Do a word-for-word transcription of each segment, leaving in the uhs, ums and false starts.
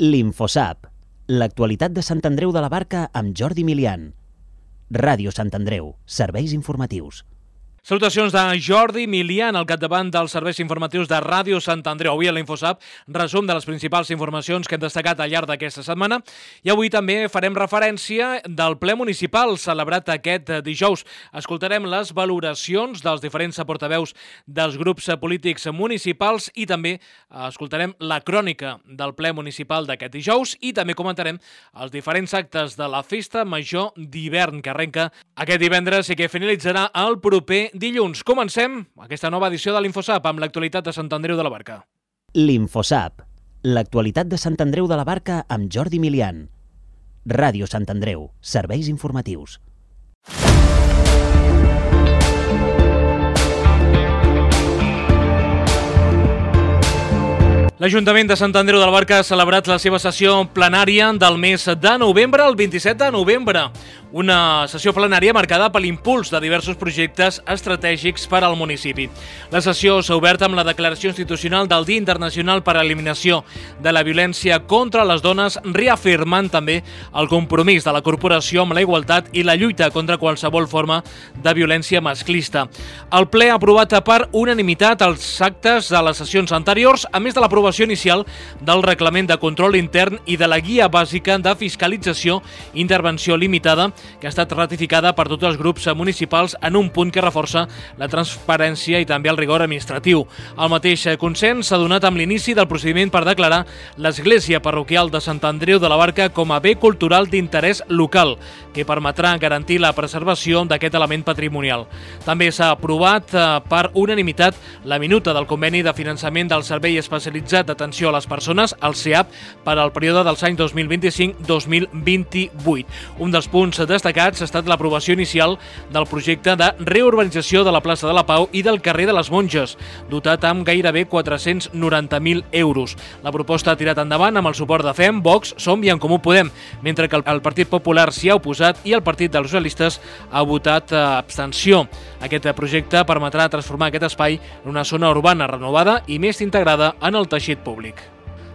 L'Infosap, l'actualitat de Sant Andreu de la Barca amb Jordi Milian. Ràdio Sant Andreu, serveis informatius. Salutacions de Jordi Milian, al capdavant dels serveis informatius de Ràdio Sant Andreu. Avui a l'Infosap, resum de les principals informacions que hem destacat al llarg d'aquesta setmana. I avui també farem referència del ple municipal celebrat aquest dijous. Escoltarem les valoracions dels diferents portaveus dels grups polítics municipals i també escoltarem la crònica del ple municipal d'aquest dijous i també comentarem els diferents actes de la Festa Major d'hivern que arrenca aquest divendres i que finalitzarà el proper dilluns. Comencem aquesta nova edició de l'Infosap amb l'actualitat de Sant Andreu de la Barca. L'Infosap, l'actualitat de Sant Andreu de la Barca amb Jordi Milian. Ràdio Sant Andreu, serveis informatius. L'Ajuntament de Sant Andreu de la Barca ha celebrat la seva sessió plenària del mes de novembre, el vint-i-set de novembre. Una sessió plenària marcada per l'impuls de diversos projectes estratègics per al municipi. La sessió s'ha obert amb la declaració institucional del Dia Internacional per a l'Eliminació de la Violència contra les Dones, reafirmant també el compromís de la corporació amb la igualtat i la lluita contra qualsevol forma de violència masclista. El ple ha aprovat per unanimitat els actes de les sessions anteriors, a més de l'aprovació inicial del reglament de control intern i de la guia bàsica de fiscalització i intervenció limitada, que ha estat ratificada per tots els grups municipals en un punt que reforça la transparència i també el rigor administratiu. El mateix consens s'ha donat amb l'inici del procediment per declarar l'Església Parroquial de Sant Andreu de la Barca com a bé cultural d'interès local, que permetrà garantir la preservació d'aquest element patrimonial. També s'ha aprovat per unanimitat la minuta del conveni de finançament del Servei Especialitzat d'Atenció a les Persones, el C E A P, per al període dels anys dos mil vint-i-cinc a dos mil vint-i-vuit. Un dels punts destacats ha estat l'aprovació inicial del projecte de reurbanització de la plaça de la Pau i del carrer de les Monges, dotat amb gairebé quatre-cents noranta mil euros. La proposta ha tirat endavant amb el suport de F E M, Vox, Som i En Comú Podem, mentre que el Partit Popular s'hi ha oposat i el Partit dels Socialistes ha votat abstenció. Aquest projecte permetrà transformar aquest espai en una zona urbana renovada i més integrada en el teixit públic.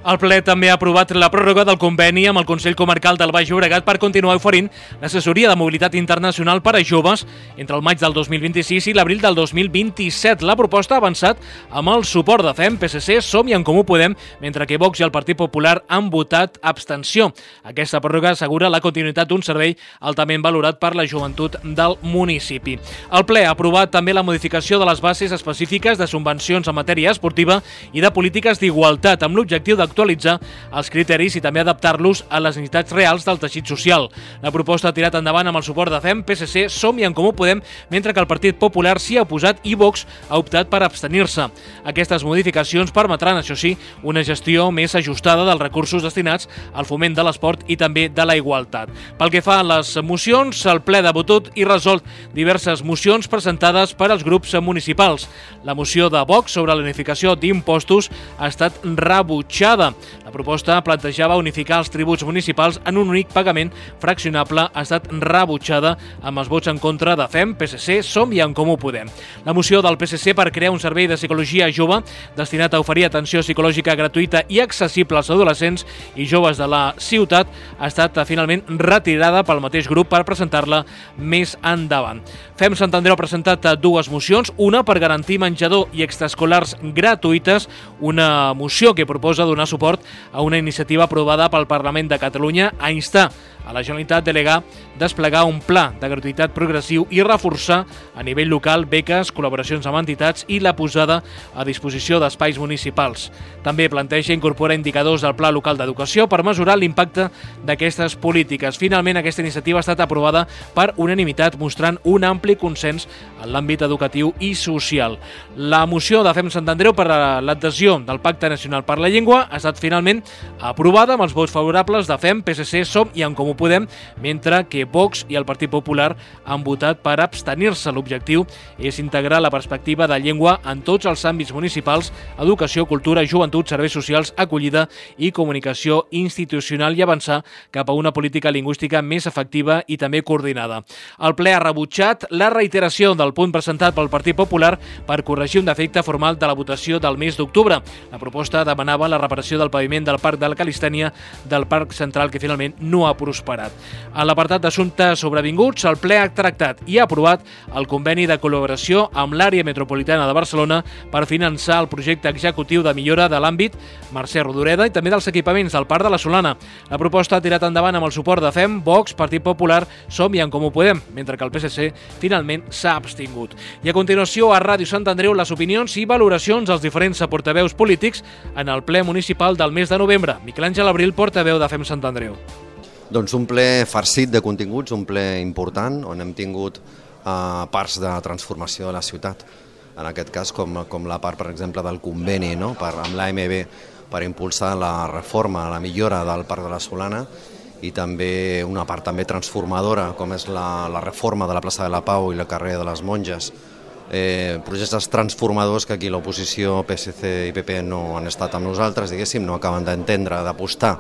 El ple també ha aprovat la pròrroga del conveni amb el Consell Comarcal del Baix Llobregat per continuar oferint l'assessoria de mobilitat internacional per a joves entre el maig del dos mil vint-i-sis i l'abril del dos mil vint-i-set. La proposta ha avançat amb el suport de F E M, P S C, Som i En Comú Podem, mentre que Vox i el Partit Popular han votat abstenció. Aquesta pròrroga assegura la continuïtat d'un servei altament valorat per la joventut del municipi. El ple ha aprovat també la modificació de les bases específiques de subvencions en matèria esportiva i de polítiques d'igualtat, amb l'objectiu d'actualitzar actualitzar els criteris i també adaptar-los a les necessitats reals del teixit social. La proposta ha tirat endavant amb el suport de F E M, P S C, Som i En Comú Podem, mentre que el Partit Popular s'hi ha oposat i Vox ha optat per abstenir-se. Aquestes modificacions permetran, això sí, una gestió més ajustada dels recursos destinats al foment de l'esport i també de la igualtat. Pel que fa a les mocions, el ple ha debatut i resolt diverses mocions presentades per als grups municipals. La moció de Vox sobre la unificació d'impostos ha estat rebutjada. La proposta plantejava unificar els tributs municipals en un únic pagament fraccionable, ha estat rebutjada amb els vots en contra de F E M, P S C, Som i En Comú Podem. La moció del P S C per crear un servei de psicologia jove destinat a oferir atenció psicològica gratuïta i accessible als adolescents i joves de la ciutat ha estat finalment retirada pel mateix grup per presentar-la més endavant. F E M Sant Andreu ha presentat dues mocions, una per garantir menjador i extraescolars gratuïtes, una moció que proposa donar suport a una iniciativa aprovada pel Parlament de Catalunya a instar a la Generalitat a delegar desplegar un pla de gratuïtat progressiu i reforçar a nivell local beques, col·laboracions amb entitats i la posada a disposició d'espais municipals. També planteja incorporar indicadors del Pla Local d'Educació per mesurar l'impacte d'aquestes polítiques. Finalment, aquesta iniciativa ha estat aprovada per unanimitat, mostrant un ampli consens en l'àmbit educatiu i social. La moció de F E M Sant Andreu per a l'adhesió del Pacte Nacional per la Llengua ha estat finalment aprovada amb els vots favorables de F E M, P S C, Som i En Comú Podem, mentre que Vox i el Partit Popular han votat per abstenir-se. L'objectiu és integrar la perspectiva de llengua en tots els àmbits municipals: educació, cultura, joventut, serveis socials, acollida i comunicació institucional, i avançar cap a una política lingüística més efectiva i també coordinada. El ple ha rebutjat la reiteració del punt presentat pel Partit Popular per corregir un defecte formal de la votació del mes d'octubre. La proposta demanava la reparació remodelació del paviment del Parc de la Calistènia del Parc Central, que finalment no ha prosperat. A l'apartat d'assumptes sobrevinguts, el ple ha tractat i ha aprovat el conveni de col·laboració amb l'àrea metropolitana de Barcelona per finançar el projecte executiu de millora de l'àmbit Mercè Rodoreda i també dels equipaments del Parc de la Solana. La proposta ha tirat endavant amb el suport de F E M, Vox, Partit Popular, Som i En Comú Podem, mentre que el P S C finalment s'ha abstingut. I a continuació, a Ràdio Sant Andreu, les opinions i valoracions dels diferents portaveus polítics en el ple municipal del mes de novembre. Miquel Àngel Abril, portaveu de F E M Sant Andreu. Doncs un ple farcit de continguts, un ple important, on hem tingut eh, parts de transformació de la ciutat. En aquest cas, com, com la part, per exemple, del conveni, no? per, amb l'A M B per impulsar la reforma, la millora del Parc de la Solana, i també una part també transformadora, com és la, la reforma de la plaça de la Pau i la carrer de les Monges. Eh, projectes transformadors que aquí l'oposició, P S C i P P no han estat amb nosaltres, diguéssim, no acaben d'entendre, d'apostar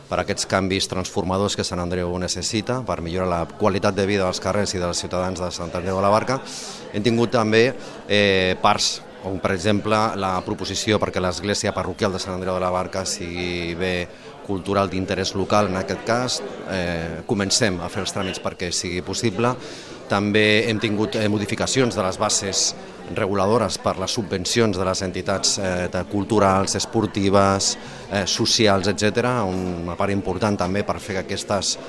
per aquests canvis transformadors que Sant Andreu necessita per millorar la qualitat de vida dels carrers i dels ciutadans de Sant Andreu de la Barca. Hem tingut també eh, parts, com per exemple la proposició perquè l'església parroquial de Sant Andreu de la Barca sigui bé cultural d'interès local, en aquest cas. Eh, comencem a fer els tràmits perquè sigui possible. També hem tingut eh, modificacions de les bases reguladores per les subvencions de les entitats eh, culturals, esportives, eh, socials, etcètera. Una part important també per fer que aquestes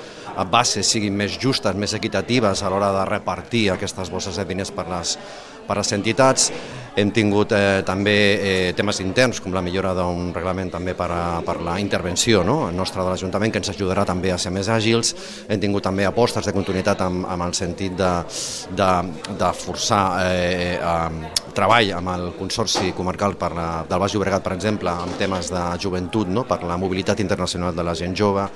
bases siguin més justes, més equitatives a l'hora de repartir aquestes bosses de diners per les, per les entitats. Hem tingut eh, també eh, temes interns, com la millora d'un reglament també per, a, per la intervenció no? nostra de l'Ajuntament, que ens ajudarà també a ser més àgils. Hem tingut també apostes de continuïtat amb, amb el sentit de, de, de forçar eh, eh, treball amb el Consorci Comarcal per la, del Baix Llobregat, per exemple, amb temes de joventut, no? per la mobilitat internacional de la gent jove,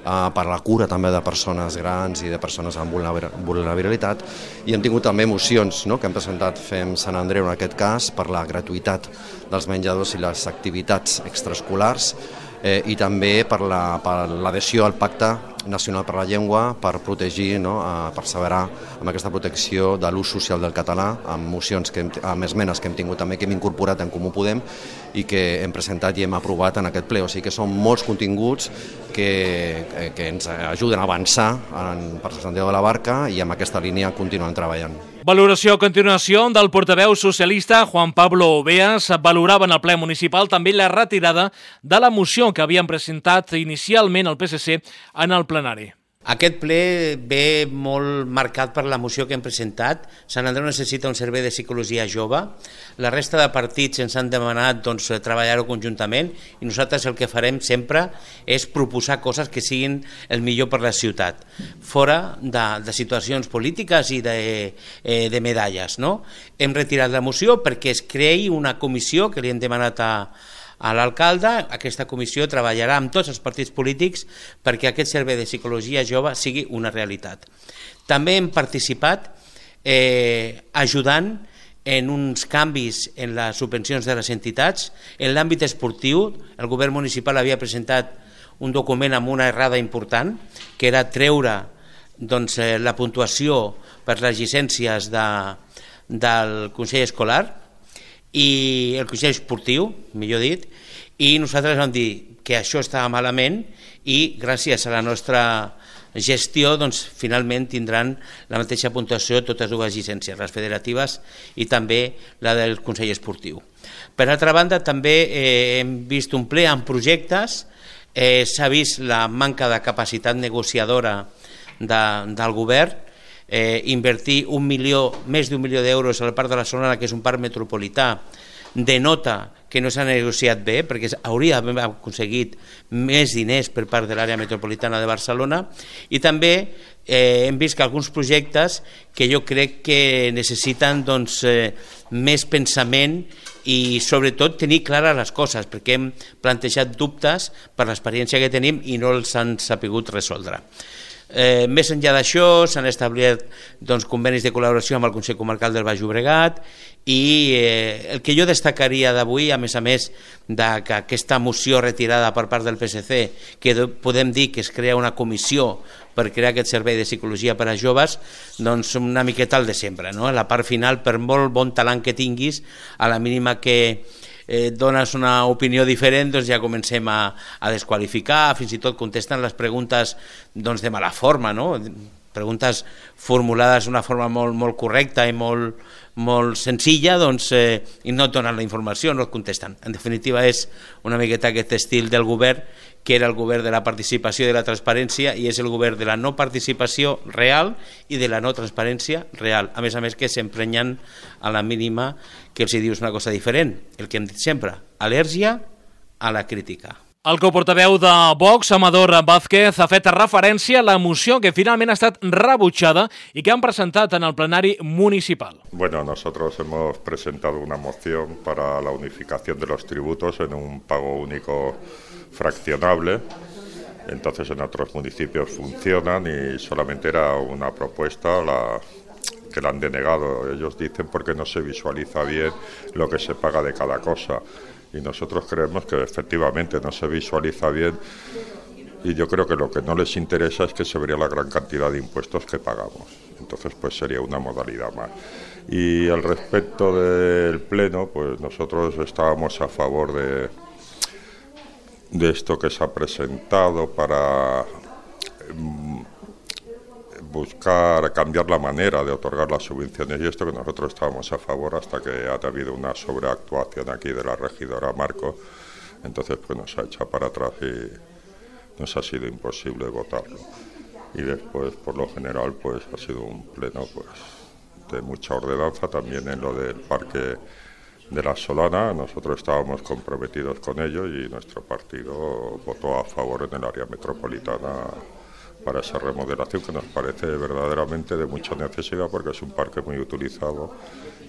Uh, per la cura també de persones grans i de persones amb vulnerabilitat, i hem tingut també mocions no? que hem presentat F E M Sant Andreu en aquest cas per la gratuïtat dels menjadors i les activitats extraescolars, eh, i també per l'adhesió la, per al Pacte Nacional per la Llengua per protegir, no? uh, perseverar amb aquesta protecció de l'ús social del català, amb mocions, que hem, amb esmenes que hem tingut també, que hem incorporat en Comú Podem i que hem presentat i hem aprovat en aquest ple. O sigui que són molts continguts que, que ens ajuden a avançar en, per Sant Andreu de la Barca, i amb aquesta línia continuem treballant. Valoració a continuació del portaveu socialista Juan Pablo Oveas. Valorava en el ple municipal també la retirada de la moció que havien presentat inicialment el P S C en el plenari. Aquest ple ve molt marcat per la moció que hem presentat. Sant Andreu necessita un servei de psicologia jove. La resta de partits ens han demanat doncs, treballar-ho conjuntament, i nosaltres el que farem sempre és proposar coses que siguin el millor per la ciutat, fora de, de situacions polítiques i de, eh, de medalles. No? Hem retirat la moció perquè es creï una comissió que li hem demanat a a l'alcalde. Aquesta comissió treballarà amb tots els partits polítics perquè aquest servei de psicologia jove sigui una realitat. També hem participat eh, ajudant en uns canvis en les subvencions de les entitats. En l'àmbit esportiu, el govern municipal havia presentat un document amb una errada important, que era treure doncs, eh, la puntuació per les llicències de, del Consell Escolar i el Consell Esportiu, millor dit, i nosaltres vam dir que això estava malament, i gràcies a la nostra gestió doncs, finalment tindran la mateixa puntuació totes dues llicències, les federatives i també la del Consell Esportiu. Per altra banda, també eh, hem vist un ple amb projectes, eh, s'ha vist la manca de capacitat negociadora de, del govern. Eh, invertir un milió, més d'un milió d'euros al Parc de la Solana, que és un parc metropolità, denota que no s'ha negociat bé, perquè hauria d'haver aconseguit més diners per part de l'àrea metropolitana de Barcelona. I també eh, hem vist que alguns projectes que jo crec que necessiten doncs, eh, més pensament i sobretot tenir clares les coses, perquè hem plantejat dubtes per l'experiència que tenim i no els han sapigut resoldre. Eh, més enllà d'això, s'han establert doncs, convenis de col·laboració amb el Consell Comarcal del Baix Llobregat, i eh, el que jo destacaria d'avui, a més a més de que aquesta moció retirada per part del P S C, que podem dir que es crea una comissió per crear aquest servei de psicologia per a joves, doncs una miqueta el de sempre, no? La part final, per molt bon talent que tinguis, a la mínima que eh, dones una opinió diferent, doncs ja comencem a, a desqualificar, fins i tot contesten les preguntes doncs, de mala forma, no? Preguntes formulades d'una forma molt, molt correcta i molt, molt senzilla, doncs, eh, i no et donen la informació, no et contesten. En definitiva, és una miqueta aquest estil del govern, que era el govern de la participació i de la transparència, i és el govern de la no participació real i de la no transparència real. A més a més que s'emprenyen a la mínima que els dius una cosa diferent. El que hem dit sempre, al·lèrgia a la crítica. El coportaveu de Vox, Amador Vázquez, ha fet referència a la moció que finalment ha estat rebutjada i que han presentat en el plenari municipal. Bueno, nosotros hemos presentado una moción para la unificación de los tributos en un pago único fraccionable. Entonces en otros municipios funcionan y solamente era una propuesta la que la han denegado. Ellos dicen porque no se visualiza bien lo que se paga de cada cosa. Y nosotros creemos que efectivamente no se visualiza bien, y yo creo que lo que no les interesa es que se vería la gran cantidad de impuestos que pagamos. Entonces pues sería una modalidad más. Y al respecto del Pleno, pues nosotros estábamos a favor de, de esto que se ha presentado para um, buscar cambiar la manera de otorgar las subvenciones, y esto que nosotros estábamos a favor hasta que ha habido una sobreactuación aquí de la regidora Marco. Entonces pues nos ha echado para atrás y nos ha sido imposible votarlo. Y después, por lo general, pues ha sido un pleno pues de mucha ordenanza también en lo del parque de la Solana. Nosotros estábamos comprometidos con ello y nuestro partido votó a favor en el área metropolitana para esa remodelación, que nos parece verdaderamente de mucha necesidad porque es un parque muy utilizado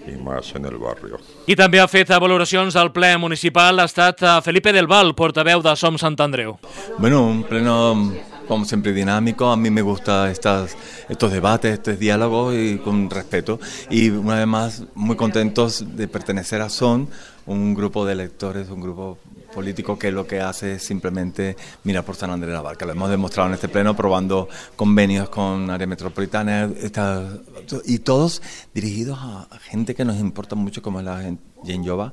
i més en el barri. I també ha fet valoracions al ple municipal ha estat Felipe del Val, portaveu de Som Sant Andreu. Bueno, un pleno como siempre dinámico, a mí me gustan estas, estos debates, estos diálogos y con respeto, y una vez más muy contentos de pertenecer a Son, un grupo de electores, un grupo político que lo que hace es simplemente mirar por San Andrés de la Barca. Lo hemos demostrado en este pleno probando convenios con área metropolitana esta, y todos dirigidos a gente que nos importa mucho, como es la Gent Jove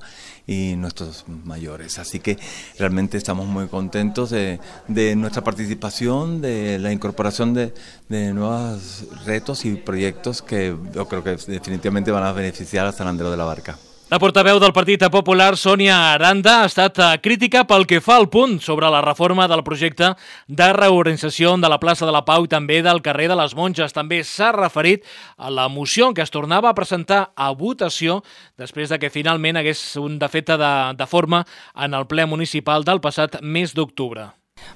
y nuestros mayores. Así que realmente estamos muy contentos de, de nuestra participación, de la incorporación de, de nuevos retos y proyectos que yo creo que definitivamente van a beneficiar a San Andreu de la Barca. La portaveu del Partit Popular, Sònia Aranda, ha estat crítica pel que fa al punt sobre la reforma del projecte de reorganització de la plaça de la Pau i també del carrer de les Monges. També s'ha referit a la moció que es tornava a presentar a votació després de que finalment hagués un defecte de, de forma en el ple municipal del passat mes d'octubre.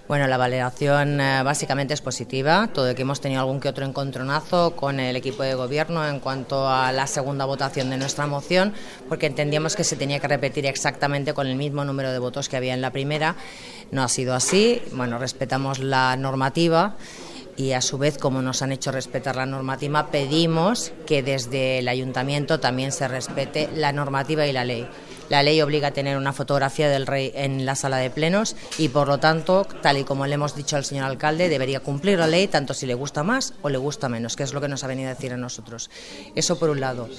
Bueno, la valoración eh, básicamente es positiva, todo que hemos tenido algún que otro encontronazo con el equipo de gobierno en cuanto a la segunda votación de nuestra moción, porque entendíamos que se tenía que repetir exactamente con el mismo número de votos que había en la primera. No ha sido así. Bueno, respetamos la normativa y a su vez, como nos han hecho respetar la normativa, pedimos que desde el ayuntamiento también se respete la normativa y la ley. La ley obliga a tener una fotografía del rey en la sala de plenos y, por lo tanto, tal y como le hemos dicho al señor alcalde, debería cumplir la ley tanto si le gusta más o le gusta menos, que es lo que nos ha venido a decir a nosotros. Eso por un lado.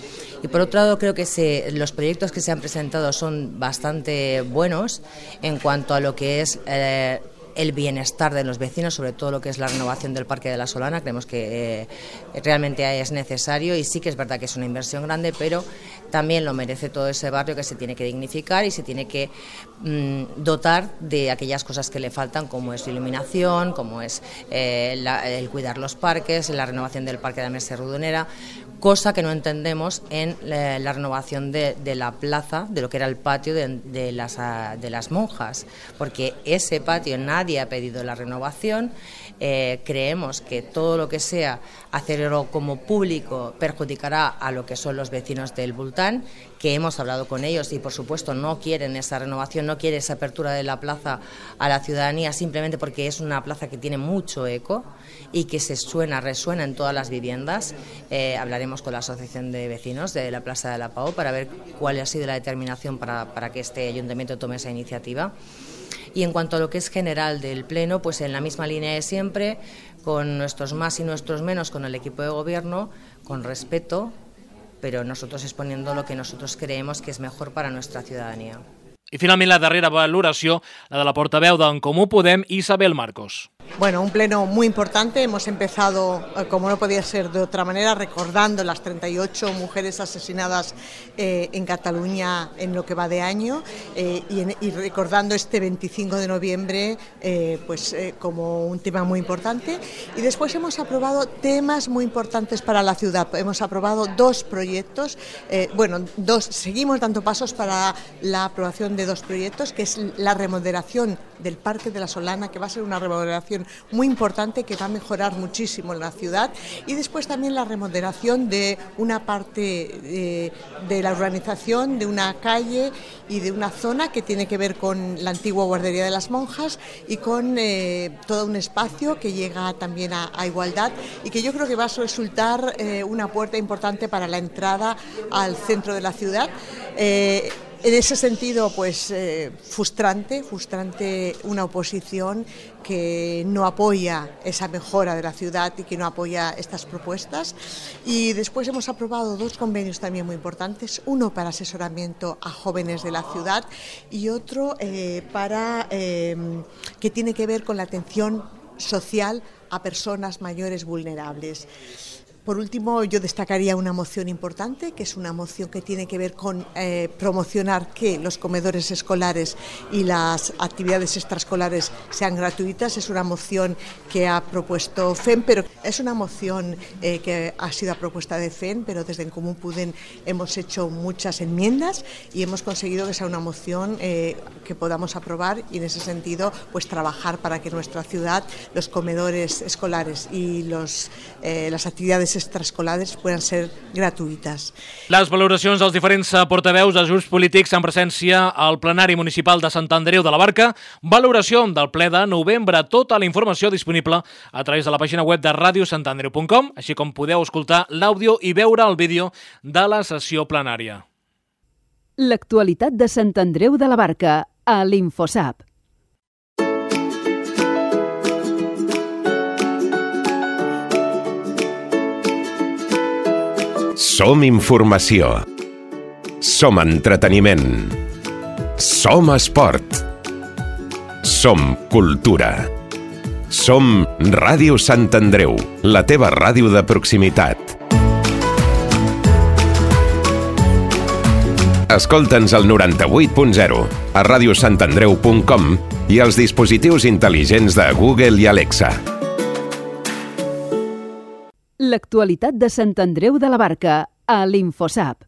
Y por otro lado, creo que se, los proyectos que se han presentado son bastante buenos en cuanto a lo que es Eh, el bienestar de los vecinos, sobre todo lo que es la renovación del Parque de la Solana. Creemos que eh, realmente es necesario y sí que es verdad que es una inversión grande, pero también lo merece todo ese barrio, que se tiene que dignificar y se tiene que mmm, dotar de aquellas cosas que le faltan, como es iluminación, como es eh, la, el cuidar los parques, la renovación del Parque de Mercè Rodonera, cosa que no entendemos en la, la renovación de, de la plaza, de lo que era el patio de, de, las, de las monjas, porque ese patio nadie ha pedido la renovación. Eh, creemos que todo lo que sea hacerlo como público perjudicará a lo que son los vecinos del Bultán, que hemos hablado con ellos y por supuesto no quieren esa renovación, no quieren esa apertura de la plaza a la ciudadanía, simplemente porque es una plaza que tiene mucho eco y que se suena, resuena en todas las viviendas. Eh, hablaremos con la Asociación de Vecinos de la Plaza de la Pau para ver cuál ha sido la determinación para, para que este ayuntamiento tome esa iniciativa. Y en cuanto a lo que es general del Pleno, pues en la misma línea de siempre, con nuestros más y nuestros menos, con el equipo de gobierno, con respeto, pero nosotros exponiendo lo que nosotros creemos que es mejor para nuestra ciudadanía. I finalment la darrera valoració, la de la portaveu d'en Comú Podem, Isabel Marcos. Bueno, un pleno muy importante. Hemos empezado, como no podía ser de otra manera, recordando las treinta y ocho mujeres asesinadas eh, en Cataluña en lo que va de año eh, y, en, y recordando este veinticinco de noviembre eh, pues, eh, como un tema muy importante. Y después hemos aprobado temas muy importantes para la ciudad. Hemos aprobado dos proyectos, eh, bueno, dos, seguimos dando pasos para la aprobación de dos proyectos, que es la remodelación del Parque de la Solana, que va a ser una remodelación muy importante que va a mejorar muchísimo en la ciudad, y después también la remodelación de una parte de, de la urbanización, de una calle y de una zona que tiene que ver con la antigua guardería de las monjas y con eh, todo un espacio que llega también a, a igualdad y que yo creo que va a resultar eh, una puerta importante para la entrada al centro de la ciudad. Eh, En ese sentido, pues eh, frustrante, frustrante una oposición que no apoya esa mejora de la ciudad y que no apoya estas propuestas. Y después hemos aprobado dos convenios también muy importantes, uno para asesoramiento a jóvenes de la ciudad y otro eh, para eh, que tiene que ver con la atención social a personas mayores vulnerables. Por último, yo destacaría una moción importante, que es una moción que tiene que ver con eh, promocionar que los comedores escolares y las actividades extraescolares sean gratuitas. Es una moción que ha propuesto F E M, pero es una moción eh, que ha sido a propuesta de F E M, pero desde En Comú Podem hemos hecho muchas enmiendas y hemos conseguido que sea una moción eh, que podamos aprobar y en ese sentido pues trabajar para que en nuestra ciudad los comedores escolares y los, eh, las actividades extraescolares puedan ser gratuïtes. Les valoracions dels diferents portaveus dels grups polítics en presència al plenari municipal de Sant Andreu de la Barca, valoració del ple de novembre, tota la informació disponible a través de la pàgina web de ràdio sant andreu punt com, així com podeu escoltar l'àudio i veure el vídeo de la sessió plenària. L'actualitat de Sant Andreu de la Barca a l'Infosap. Som informació. Som entreteniment. Som esport. Som cultura. Som Ràdio Sant Andreu, la teva ràdio de proximitat. Escolta'ns al noranta-vuit punt zero, a ràdio sant andreu punt com i als dispositius intel·ligents de Google i Alexa. L'actualitat de Sant Andreu de la Barca a l'Infosap.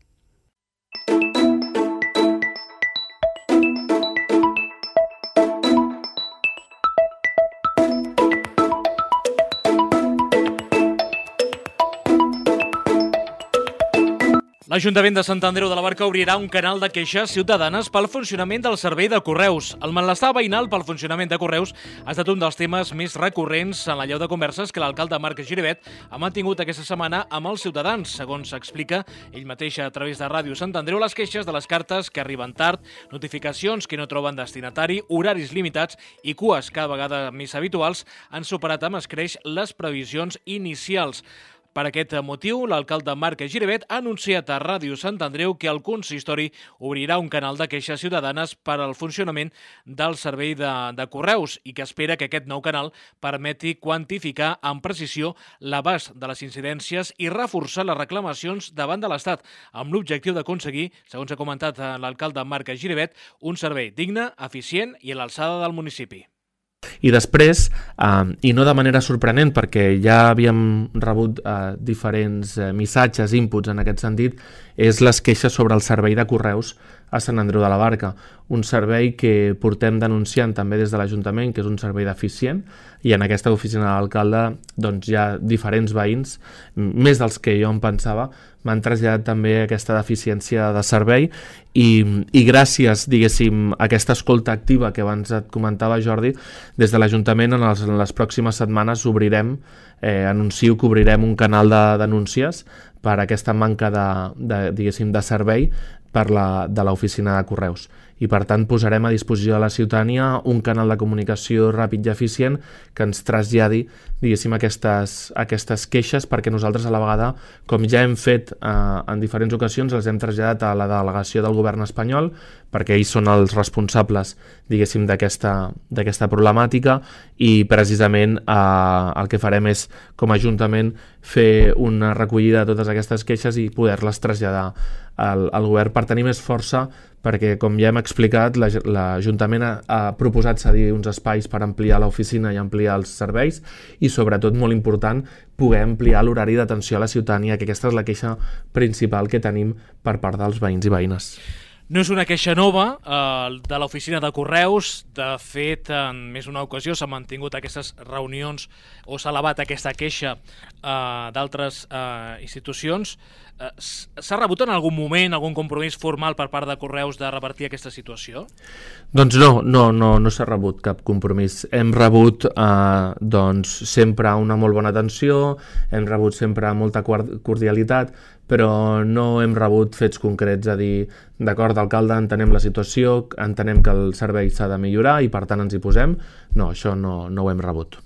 L'Ajuntament de Sant Andreu de la Barca obrirà un canal de queixes ciutadanes pel funcionament del servei de correus. El malestar veïnal pel funcionament de correus ha estat un dels temes més recurrents en la llau de converses que l'alcalde Marc Giribet ha mantingut aquesta setmana amb els ciutadans. Segons explica ell mateix a través de Ràdio Sant Andreu, les queixes de les cartes que arriben tard, notificacions que no troben destinatari, horaris limitats i cues cada vegada més habituals han superat amb escreix les previsions inicials. Per aquest motiu, l'alcalde Marc Giribet ha anunciat a Ràdio Sant Andreu que el consistori obrirà un canal de queixes ciutadanes per al funcionament del servei de, de correus i que espera que aquest nou canal permeti quantificar amb precisió l'abast de les incidències i reforçar les reclamacions davant de l'Estat, amb l'objectiu d'aconseguir, segons ha comentat l'alcalde Marc Giribet, un servei digne, eficient i a l'alçada del municipi. I després, eh, i no de manera sorprenent perquè ja havíem rebut eh, diferents eh, missatges, inputs en aquest sentit, és les queixes sobre el servei de correus a Sant Andreu de la Barca, un servei que portem denunciant també des de l'Ajuntament, que és un servei deficient, i en aquesta oficina de l'alcalde doncs, hi ha diferents veïns, més dels que jo em pensava, m'han traslladat també aquesta deficiència de servei i, i gràcies, diguéssim, a aquesta escolta activa que abans et comentava, Jordi, des de l'Ajuntament en, els, en les pròximes setmanes obrirem, eh, anuncio que obrirem un canal de denúncies per aquesta manca de, de, diguéssim, de servei per la, de l'oficina de correus. i per tant posarem a disposició de la ciutadania un canal de comunicació ràpid i eficient que ens traslladi, diguéssim, aquestes, aquestes queixes, perquè nosaltres a la vegada, com ja hem fet eh, en diferents ocasions, les hem traslladat a la delegació del govern espanyol, perquè ells són els responsables, diguéssim, d'aquesta d'aquesta problemàtica, i precisament eh, el que farem és, com a Ajuntament, fer una recollida de totes aquestes queixes i poder-les traslladar al, al govern per tenir més força, perquè, com ja hem explicat, l'Ajuntament ha, ha proposat cedir uns espais per ampliar l'oficina i ampliar els serveis i, sobretot, molt important, poder ampliar l'horari d'atenció a la ciutadania, que aquesta és la queixa principal que tenim per part dels veïns i veïnes. No és una queixa nova eh, de l'oficina de correus. De fet, en més d'una ocasió s'han mantingut aquestes reunions o s'ha elevat aquesta queixa eh, d'altres eh, institucions. Eh, S'ha rebut en algun moment algun compromís formal per part de Correus de revertir aquesta situació? Doncs no, no, no, no s'ha rebut cap compromís. Hem rebut eh, doncs, sempre una molt bona atenció, hem rebut sempre molta cordialitat, però no hem rebut fets concrets a dir, d'acord, alcalde, entenem la situació, entenem que el servei s'ha de millorar i per tant ens hi posem. No, això no, no ho hem rebut.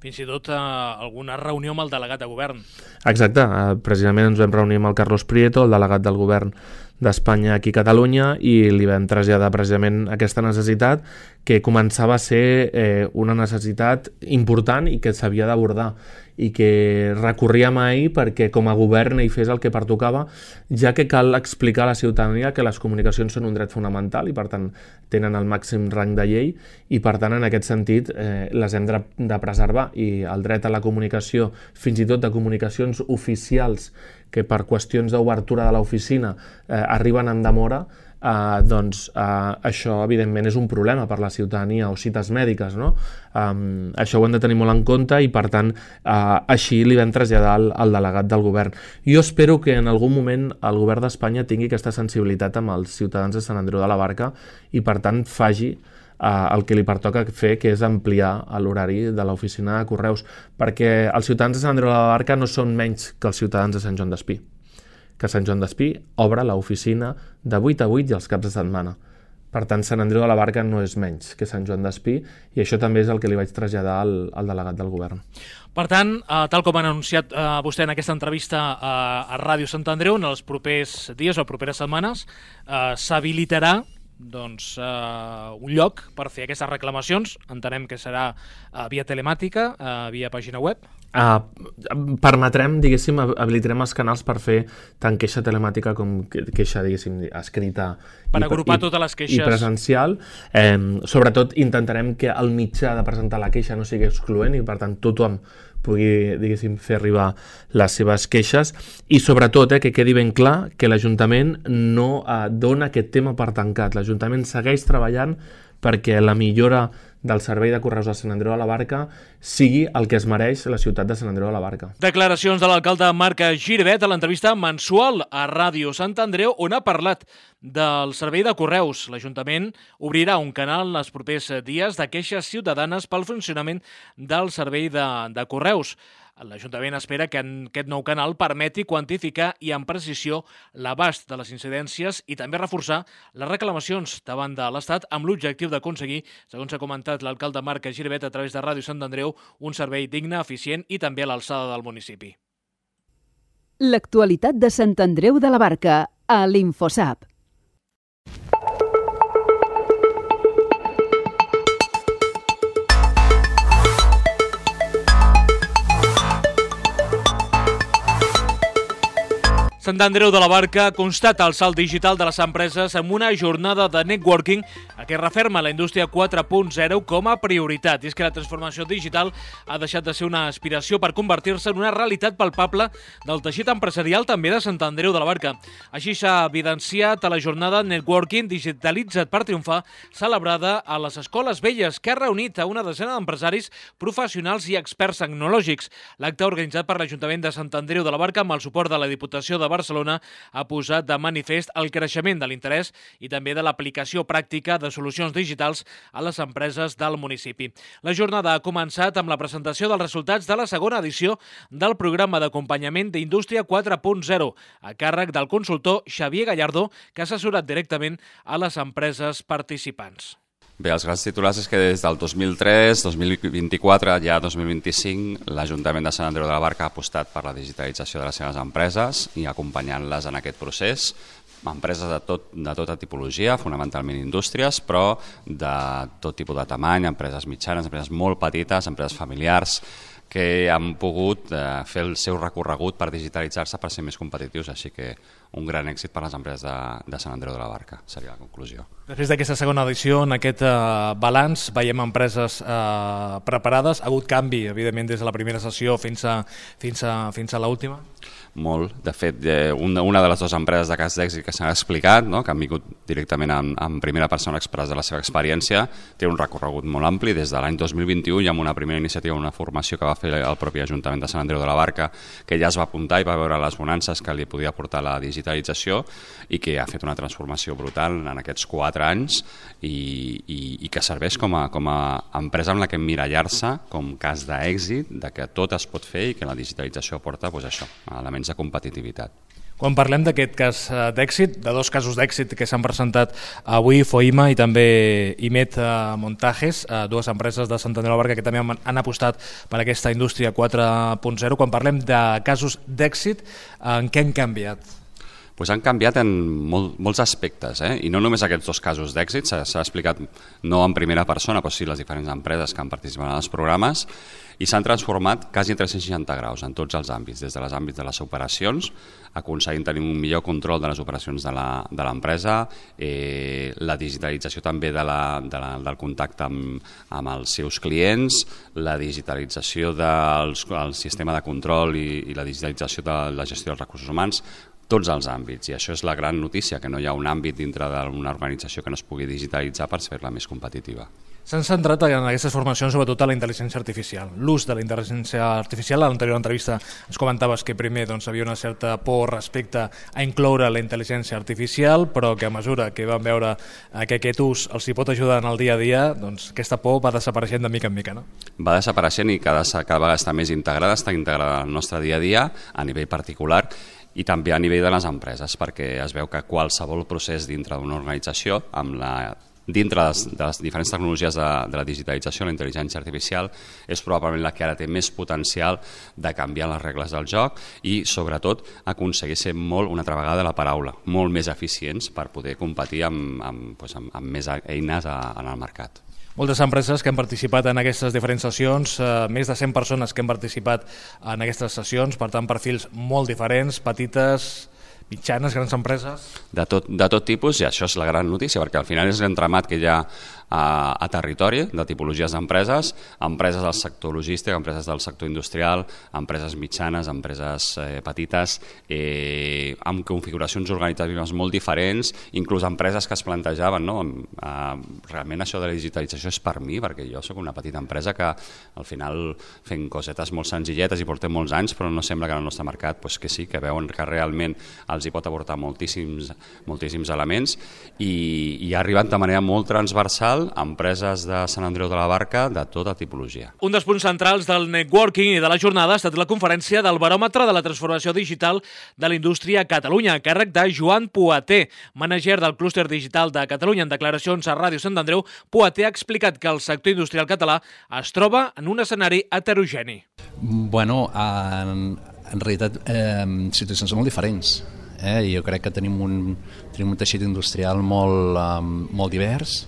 Fins i tot eh, alguna reunió amb el delegat de govern. Exacte, eh, precisament ens vam reunir amb el Carlos Prieto, el delegat del govern d'Espanya aquí a Catalunya, i li vam traslladar precisament aquesta necessitat que començava a ser eh, una necessitat important i que s'havia d'abordar i que recorria mai perquè com a govern ell fes el que pertocava, ja que cal explicar a la ciutadania que les comunicacions són un dret fonamental i per tant tenen el màxim rang de llei i per tant en aquest sentit eh, les hem de, de preservar, i el dret a la comunicació, fins i tot de comunicacions oficials que per qüestions d'obertura de l'oficina eh, arriben amb demora, Uh, doncs uh, això evidentment és un problema per la ciutadania, o cites mèdiques, no? Um, això ho hem de tenir molt en compte i per tant uh, així li vam traslladar al, al delegat del govern. Jo espero que en algun moment el govern d'Espanya tingui aquesta sensibilitat amb els ciutadans de Sant Andreu de la Barca i per tant faci uh, el que li pertoca fer, que és ampliar l'horari de l'oficina de correus, perquè els ciutadans de Sant Andreu de la Barca no són menys que els ciutadans de Sant Joan d'Espí, que Sant Joan d'Espí obre l'oficina de vuit a vuit i els caps de setmana. Per tant, Sant Andreu de la Barca no és menys que Sant Joan d'Espí i això també és el que li vaig traslladar al, al delegat del govern. Per tant, eh, tal com han anunciat eh, vostè en aquesta entrevista a, a Ràdio Sant Andreu, en els propers dies o properes setmanes eh, s'habilitarà doncs, eh, un lloc per fer aquestes reclamacions. Entenem que serà eh, via telemàtica, eh, via pàgina web. Uh, permetrem, diguéssim, habilitarem els canals per fer tant queixa telemàtica com queixa, diguéssim, escrita per i, agrupar i, totes les queixes i presencial. Eh, sobretot intentarem que el mitjà de presentar la queixa no sigui excloent i per tant tothom pugui, diguéssim, fer arribar les seves queixes i sobretot eh, que quedi ben clar que l'Ajuntament no eh, dona aquest tema per tancat. L'Ajuntament segueix treballant perquè la millora del servei de correus de Sant Andreu de la Barca sigui el que es mereix la ciutat de Sant Andreu de la Barca. Declaracions de l'alcalde Marc Giribet a l'entrevista mensual a Ràdio Sant Andreu, on ha parlat del servei de correus. L'Ajuntament obrirà un canal els propers dies de queixes ciutadanes pel funcionament del servei de, de correus. L'Ajuntament espera que aquest nou canal permeti quantificar i amb precisió l'abast de les incidències i també reforçar les reclamacions davant de l'Estat amb l'objectiu d'aconseguir, segons ha comentat l'alcalde Marc Giribet a través de Ràdio Sant Andreu, un servei digne, eficient i també a l'alçada del municipi. L'actualitat de Sant Andreu de la Barca a l'Infosap. Sant Andreu de la Barca constata el salt digital de les empreses amb una jornada de networking que referma la indústria quatre punt zero com a prioritat. I és que la transformació digital ha deixat de ser una aspiració per convertir-se en una realitat palpable del teixit empresarial també de Sant Andreu de la Barca. Així s'ha evidenciat a la jornada Networking Digitalitzat per Triomfar, celebrada a les Escoles Velles, que ha reunit a una desena d'empresaris, professionals i experts tecnològics. L'acte organitzat per l'Ajuntament de Sant Andreu de la Barca amb el suport de la Diputació de Barcelona ha posat de manifest el creixement de l'interès i també de l'aplicació pràctica de solucions digitals a les empreses del municipi. La jornada ha començat amb la presentació dels resultats de la segona edició del programa d'acompanyament d'Indústria quatre punt zero, a càrrec del consultor Xavier Gallardo, que ha assessorat directament a les empreses participants. Bé, els grans titulars és que des del dos mil tres, dos mil vint-i-quatre, ja dos mil vint-i-cinc, l'Ajuntament de Sant Andreu de la Barca ha apostat per la digitalització de les seves empreses i acompanyant-les en aquest procés. Empreses de, tot, de tota tipologia, fonamentalment indústries, però de tot tipus de tamany, empreses mitjanes, empreses molt petites, empreses familiars, que han pogut eh, fer el seu recorregut per digitalitzar-se per ser més competitius, així que un gran èxit per a les empreses de, de Sant Andreu de la Barca, seria la conclusió. Després d'aquesta segona edició, en aquest eh, balanç, veiem empreses eh, preparades. Ha hagut canvi, evidentment, des de la primera sessió fins a, fins a, fins a l'última? Molt. De fet, eh, una, una de les dues empreses de cas d'èxit que s'han explicat, no?, que han vingut directament en, en primera persona a expressar la seva experiència, té un recorregut molt ampli. Des de l'any dos mil vint-i-u hi ha una primera iniciativa, una formació que va fer el propi Ajuntament de Sant Andreu de la Barca, que ja es va apuntar i va veure les bonances que li podia portar la digitalització i que ha fet una transformació brutal en aquests quatre anys i, i, i que serveix com a, com a empresa amb la que emmirallar-se com cas d'èxit, de que tot es pot fer i que la digitalització aporta doncs, això, elements de competitivitat. Quan parlem d'aquest cas d'èxit, de dos casos d'èxit que s'han presentat avui, Foima i també Imet Montajes, dues empreses de Sant Andreu de la Barca que també han apostat per aquesta indústria quatre punt zero, quan parlem de casos d'èxit, en què han canviat? Pues han canviat en molt, molts aspectes, eh? I no només aquests dos casos d'èxit, s'ha explicat no en primera persona, però sí les diferents empreses que han participat en els programes, i s'han transformat quasi en tres-cents seixanta graus en tots els àmbits, des de les àmbits de les operacions, aconseguint tenir un millor control de les operacions de l'empresa, eh, la digitalització també de la, de la, del contacte amb, amb els seus clients, la digitalització del sistema de control i, i la digitalització de la gestió dels recursos humans, tots els àmbits, i això és la gran notícia, que no hi ha un àmbit dintre d'una organització que no es pugui digitalitzar per fer-la més competitiva. S'han centrat en aquestes formacions sobretot a la intel·ligència artificial, l'ús de la intel·ligència artificial. A l'anterior entrevista ens comentaves que primer doncs, havia una certa por respecte a incloure la intel·ligència artificial, però que a mesura que van veure que aquest ús els hi pot ajudar en el dia a dia, doncs aquesta por va desapareixent de mica en mica, no? Va desapareixent i cada, cada vegada està més integrada, està integrada al nostre dia a dia, a nivell particular, i també a nivell de les empreses, perquè es veu que qualsevol procés dintre d'una organització, amb la, dintre de les, de les diferents tecnologies de, de la digitalització, la intel·ligència artificial, és probablement la que ara té més potencial de canviar les regles del joc i, sobretot, aconseguir ser molt, una altra vegada la paraula, molt més eficients per poder competir amb, amb, doncs, amb, amb més eines a, en el mercat. Moltes empreses que han participat en aquestes diferents sessions, eh, més de cent persones que han participat en aquestes sessions, per tant, perfils molt diferents, petites, mitjanes, grans empreses. De tot, de tot tipus, i això és la gran notícia, perquè al final és l'entramat que hi ha a, a territori de tipologies d'empreses, empreses del sector logístic, empreses del sector industrial, empreses mitjanes, empreses eh, petites, eh, amb configuracions organitzatives molt diferents, inclús empreses que es plantejaven, no? Eh, realment això de la digitalització és per mi, perquè jo sóc una petita empresa que al final fem cosetes molt senzilletes i portem molts anys, però no sembla que en el nostre mercat pues, que sí, que veuen que realment els hi pot aportar moltíssims, moltíssims elements i, i ha arribat de manera molt transversal a empreses de Sant Andreu de la Barca de tota tipologia. Un dels punts centrals del networking i de la jornada ha estat la conferència del baròmetre de la transformació digital de la indústria a Catalunya, a càrrec de Joan Poater, mànager del clúster digital de Catalunya. En declaracions a Ràdio Sant Andreu, Poater ha explicat que el sector industrial català es troba en un escenari heterogeni. Bueno, en, en realitat, eh, situacions molt diferents. Eh? Jo crec que tenim un, tenim un teixit industrial molt, um, molt divers,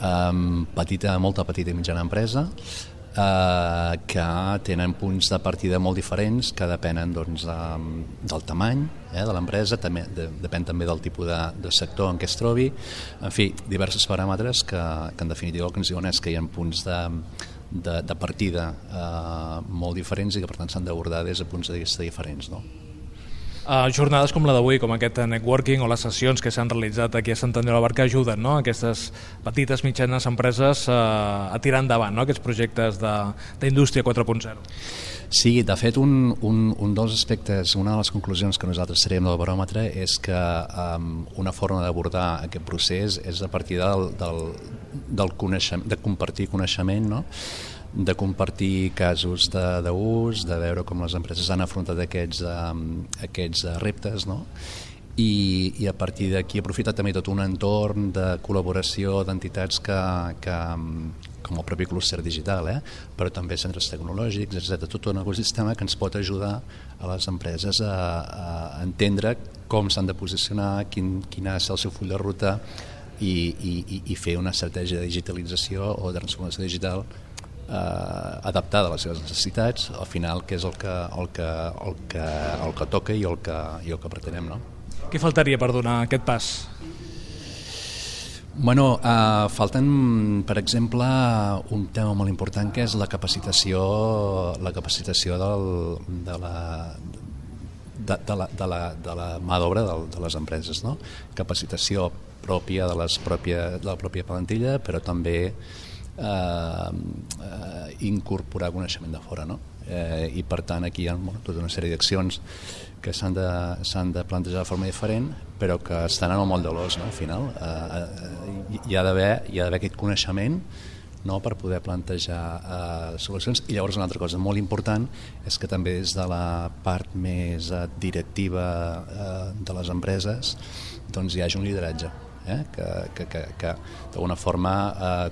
um, petita, molta petita i mitjana empresa, uh, que tenen punts de partida molt diferents que depenen doncs, um, del tamany eh, de l'empresa, també, de, depèn també del tipus de, de sector en què es trobi, en fi, diversos paràmetres que, que en definitiva el que ens diuen és que hi ha punts de, de, de partida eh, molt diferents i que per tant s'han d'abordar des de punts de vista diferents, no? Uh, jornades com la d'avui, com aquest networking o les sessions que s'han realitzat aquí a Sant Andreu de la Barca ajuden, no?, aquestes petites, mitjanes empreses uh, a tirar endavant, no?, aquests projectes d'indústria quatre punt zero. Sí, de fet, un, un, un dels aspectes, una de les conclusions que nosaltres traiem del baròmetre és que um, una forma d'abordar aquest procés és a partir del, del, del coneixement, de compartir coneixement, no?, de compartir casos d'ús, de, de veure com les empreses han afrontat aquests, um, aquests reptes, no?, I, i a partir d'aquí aprofitar també tot un entorn de col·laboració d'entitats que, que, com el propi clúster digital, eh? però també centres tecnològics, etcètera. Tot un ecosistema que ens pot ajudar a les empreses a, a entendre com s'han de posicionar, quin, quin ha de ser el seu full de ruta i, i, i fer una estratègia de digitalització o de transformació digital eh, adaptada a les seves necessitats, al final, que és el que, el que, el que, el que toca i el que, i el que pretenem, no? Què faltaria per donar aquest pas? Bueno, eh, falten, per exemple, un tema molt important que és la capacitació, la capacitació del, de la de, de la, de la, de la mà d'obra de, de les empreses, no? Capacitació pròpia de, les pròpia, de la pròpia plantilla, però també eh, eh, incorporar coneixement de fora, no? Eh, i per tant aquí hi ha bueno, tota una sèrie d'accions que s'han de, s'han de plantejar de forma diferent, però que estan en el moll de l'os, no? Al final eh, eh, hi ha d'haver hi ha d'haver aquest coneixement, no?, per poder plantejar eh, solucions. I llavors una altra cosa molt important és que també des de la part més eh, directiva eh, de les empreses doncs hi hagi un lideratge, eh? que, que, que, que d'alguna forma eh,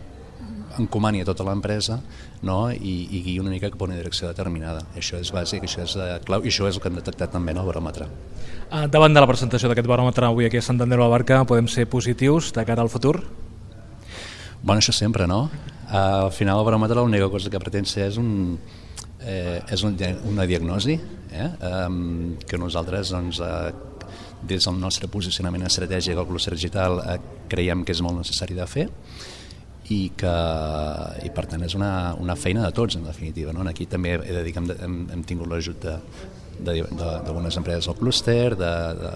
encomani a tota l'empresa, no?, i, i guiï una mica cap a una direcció determinada. Això és bàsic, això és eh, clau, i això és el que hem detectat també en el baròmetre. Uh, davant de la presentació d'aquest baròmetre avui aquí a Sant Andreu de la Barca, podem ser positius de cara al futur? Bueno, això sempre, no? Uh, al final el baròmetre l'única cosa que pretén ser és, un, eh, és un, una diagnosi eh? um, que nosaltres doncs, uh, des del nostre posicionament estratègic al clúster digital uh, creiem que és molt necessari de fer i que i per tant és una, una feina de tots en definitiva, no? Aquí també he de dir que hem, hem, hem tingut l'ajut d'algunes empreses del clúster, de, de,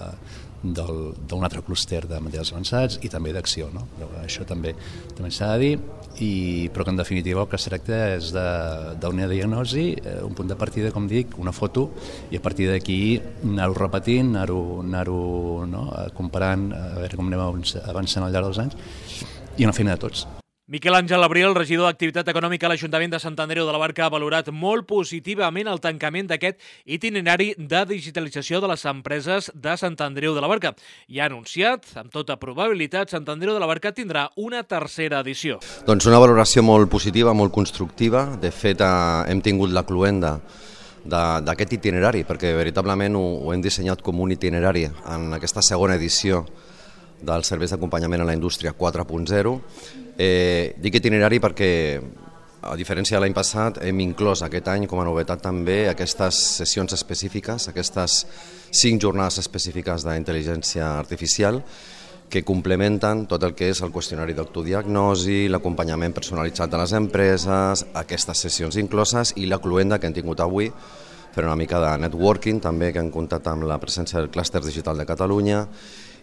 d'un altre clúster de materials avançats i també d'acció, no? Això també també s'ha de dir, i, però que en definitiva el que es tracta és d'una diagnosi, un punt de partida, com dic, una foto, i a partir d'aquí anar-ho repetint, anar-ho anar-ho no? comparant, a veure com anem avançant al llarg dels anys, i una feina de tots. Miquel Àngel Abril, regidor d'Activitat Econòmica a l'Ajuntament de Sant Andreu de la Barca, ha valorat molt positivament el tancament d'aquest itinerari de digitalització de les empreses de Sant Andreu de la Barca i ha anunciat, amb tota probabilitat, Sant Andreu de la Barca tindrà una tercera edició. Doncs una valoració molt positiva, molt constructiva. De fet, hem tingut la cloenda d'aquest itinerari, perquè veritablement ho, ho hem dissenyat com un itinerari en aquesta segona edició dels serveis d'acompanyament a la indústria quatre punt zero. Eh, dic itinerari perquè, a diferència de l'any passat, hem inclòs aquest any com a novetat també aquestes sessions específiques, aquestes cinc jornades específiques d'intel·ligència artificial que complementen tot el que és el qüestionari d'autodiagnosi, l'acompanyament personalitzat de les empreses, aquestes sessions incloses i la cloenda que hem tingut avui, fer una mica de networking també, que hem comptat amb la presència del clúster digital de Catalunya,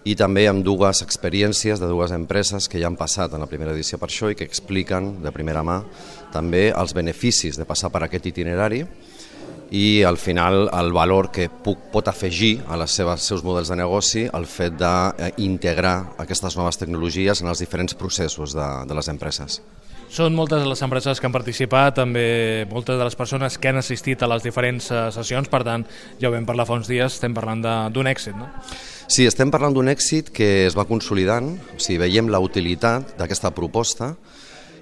i també amb dues experiències de dues empreses que ja han passat en la primera edició per això i que expliquen de primera mà també els beneficis de passar per aquest itinerari i al final el valor que puc, pot afegir a les seves, seus models de negoci el fet d'integrar aquestes noves tecnologies en els diferents processos de, de les empreses. Són moltes les empreses que han participat, també moltes de les persones que han assistit a les diferents sessions, per tant, ja ho vam parlar fa uns dies, estem parlant d'un èxit, no? Sí, estem parlant d'un èxit que es va consolidant, o sigui, veiem la utilitat d'aquesta proposta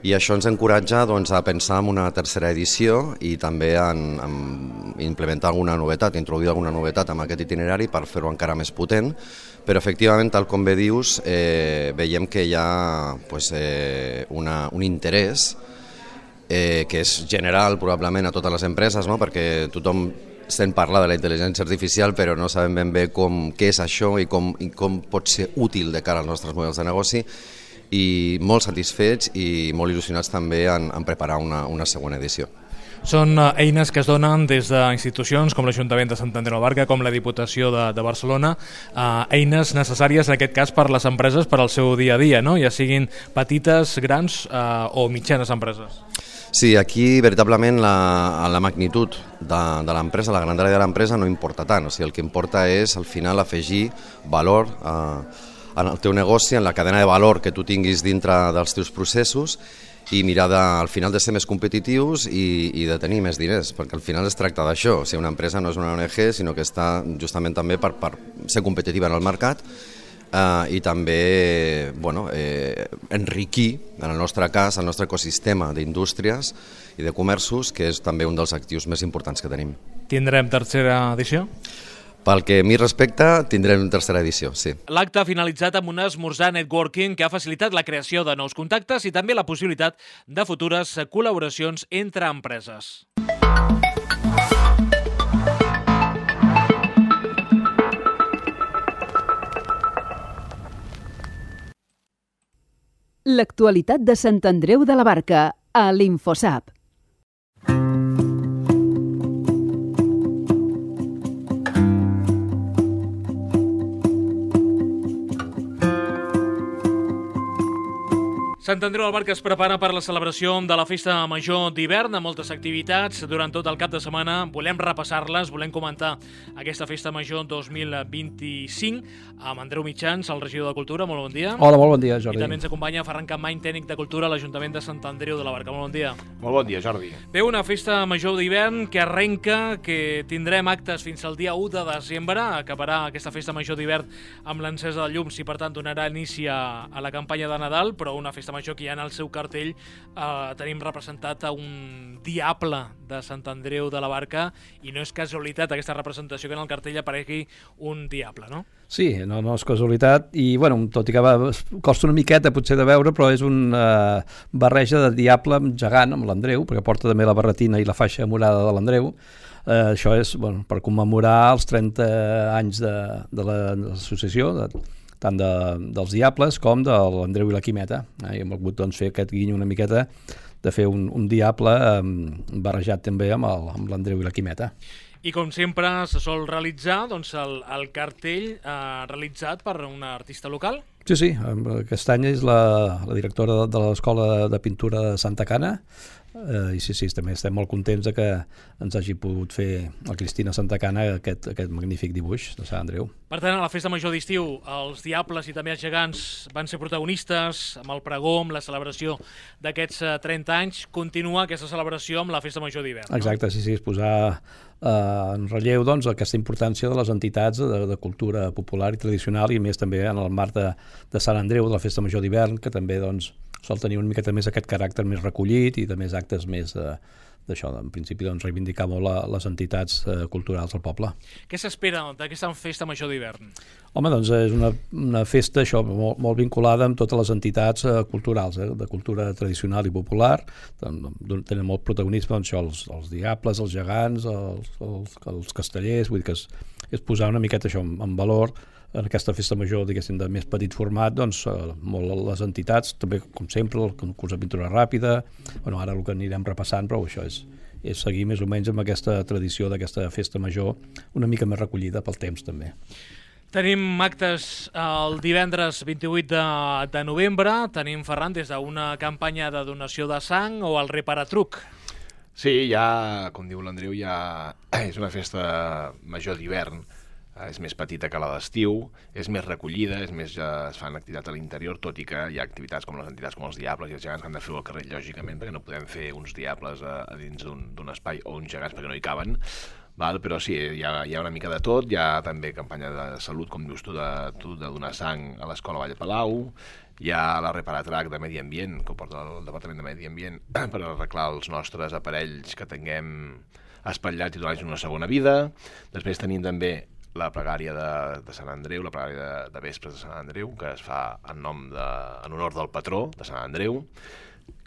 i això ens encoratja doncs, a pensar en una tercera edició i també en, en implementar alguna novetat, introduir alguna novetat en aquest itinerari per fer-ho encara més potent, però efectivament, tal com bé dius, eh, veiem que hi ha pues, eh, una, un interès eh, que és general probablement a totes les empreses, no? Perquè tothom estem parlant de la intel·ligència artificial però no sabem ben bé com, què és això i com, i com pot ser útil de cara als nostres models de negoci i molt satisfets i molt il·lusionats també en, en preparar una, una segona edició. Són eines que es donen des d'institucions com l'Ajuntament de Sant Andreu de la Barca, com la Diputació de, de Barcelona, eh, eines necessàries en aquest cas per les empreses per al seu dia a dia, no? Ja siguin petites, grans eh, o mitjanes empreses. Sí, aquí veritablement la, la magnitud de, de l'empresa, la grandària de l'empresa no importa tant, o sigui, el que importa és al final afegir valor eh, en el teu negoci, en la cadena de valor que tu tinguis dintre dels teus processos i mirar de, al final de ser més competitius i, i de tenir més diners, perquè al final es tracta d'això. O sigui, una empresa no és una O N G, sinó que està justament també per, per ser competitiva en el mercat eh, i també bueno, eh, enriquir, en el nostre cas, el nostre ecosistema d'indústries i de comerços, que és també un dels actius més importants que tenim. Tindrem tercera edició? Pel que a mi respecta, tindrem una tercera edició, sí. L'acte ha finalitzat amb un esmorzar networking que ha facilitat la creació de nous contactes i també la possibilitat de futures col·laboracions entre empreses. L'actualitat de Sant Andreu de la Barca, a l'Infosap. Sant Andreu de la Barca es prepara per la celebració de la Festa Major d'hivern amb moltes activitats durant tot el cap de setmana. Volem repassar-les, volem comentar aquesta Festa Major dos mil vint-i-cinc amb Andreu Mitjans, el regidor de Cultura. Molt bon dia. Hola, molt bon dia, Jordi. I també ens acompanya Ferran Campmany, tècnic de Cultura a l'Ajuntament de Sant Andreu de la Barca. Molt bon dia. Molt bon dia, Jordi. Bé, una Festa Major d'hivern que arrenca, que tindrem actes fins al dia u de desembre. Acabarà aquesta Festa Major d'hivern amb l'encesa de llums i, per tant, donarà inici a, a la campanya de Nadal, però una Festa Major que ja en el seu cartell eh, tenim representat a un diable de Sant Andreu de la Barca i no és casualitat aquesta representació que en el cartell aparegui un diable, no? Sí, no, no és casualitat i, bueno, tot i que va, costa una miqueta potser de veure, però és una uh, barreja de diable amb gegant, amb l'Andreu, perquè porta també la barretina i la faixa morada de l'Andreu. Uh, això és bueno, per commemorar els trenta anys de, de l'associació, de tant de, dels Diables com de l'Andreu i la Quimeta. Eh? I hem volgut doncs, fer aquest guiny una miqueta de fer un, un diable eh, barrejat també amb l'Andreu i la Quimeta. I com sempre se sol realitzar doncs, el, el cartell eh, realitzat per una artista local? Sí, sí, aquest any és la, la directora de, de l'Escola de Pintura de Santa Cana, eh, i sí, sí, també estem molt contents de que ens hagi pogut fer la Cristina Santa Cana aquest, aquest magnífic dibuix de Sant Andreu. Per tant, a la Festa Major d'estiu, els Diables i també els Gegants van ser protagonistes amb el pregó, amb la celebració d'aquests trenta anys. Continua aquesta celebració amb la Festa Major d'hivern, no? Exacte, sí, sí, és posar eh, en relleu doncs, aquesta importància de les entitats de, de cultura popular i tradicional i més també en el marc de, de Sant Andreu, de la Festa Major d'hivern, que també doncs, sol tenir una miqueta més aquest caràcter més recollit i de més actes més eh, d'això, en principi doncs, reivindicar molt la, les entitats eh, culturals del poble. Què s'espera d'aquesta Festa Major d'hivern? Home, doncs és una, una festa això, molt, molt vinculada amb totes les entitats eh, culturals, eh, de cultura tradicional i popular. Tenen molt protagonisme doncs, això, els, els diables, els gegants, els, els, els castellers, vull dir que és, és posar una miqueta això en, en valor en aquesta festa major, diguéssim, de més petit format, doncs, eh, molt les entitats, també, com sempre, el concurs de pintura ràpida, bueno, ara el que anirem repassant, però això és, és seguir més o menys amb aquesta tradició d'aquesta festa major, una mica més recollida pel temps, també. Tenim actes el divendres vint-i-vuit de, de novembre, tenim, Ferran, des d'una campanya de donació de sang o el Reparatruc. Sí, ja, com diu l'Andreu, ja és una festa major d'hivern, és més petita que la d'estiu, és més recollida, és més, ja es fan activitats a l'interior, tot i que hi ha activitats com les entitats com els Diables i els Gegants que han de fer al carrer, lògicament, perquè no podem fer uns Diables a, a dins d'un espai o uns Gegants perquè no hi caben, val? Però sí, hi ha, hi ha una mica de tot, hi ha també campanya de salut, com dius tu, de, tu, de donar sang a l'Escola Vall de Palau, hi ha la Reparatrac de Medi Ambient, que ho porta el Departament de Medi Ambient, per arreglar els nostres aparells que tinguem espatllats i donar-los una segona vida. Després tenim també la pregària de, de Sant Andreu, la pregària de, de Vespres de Sant Andreu, que es fa en nom de, en honor del patró de Sant Andreu.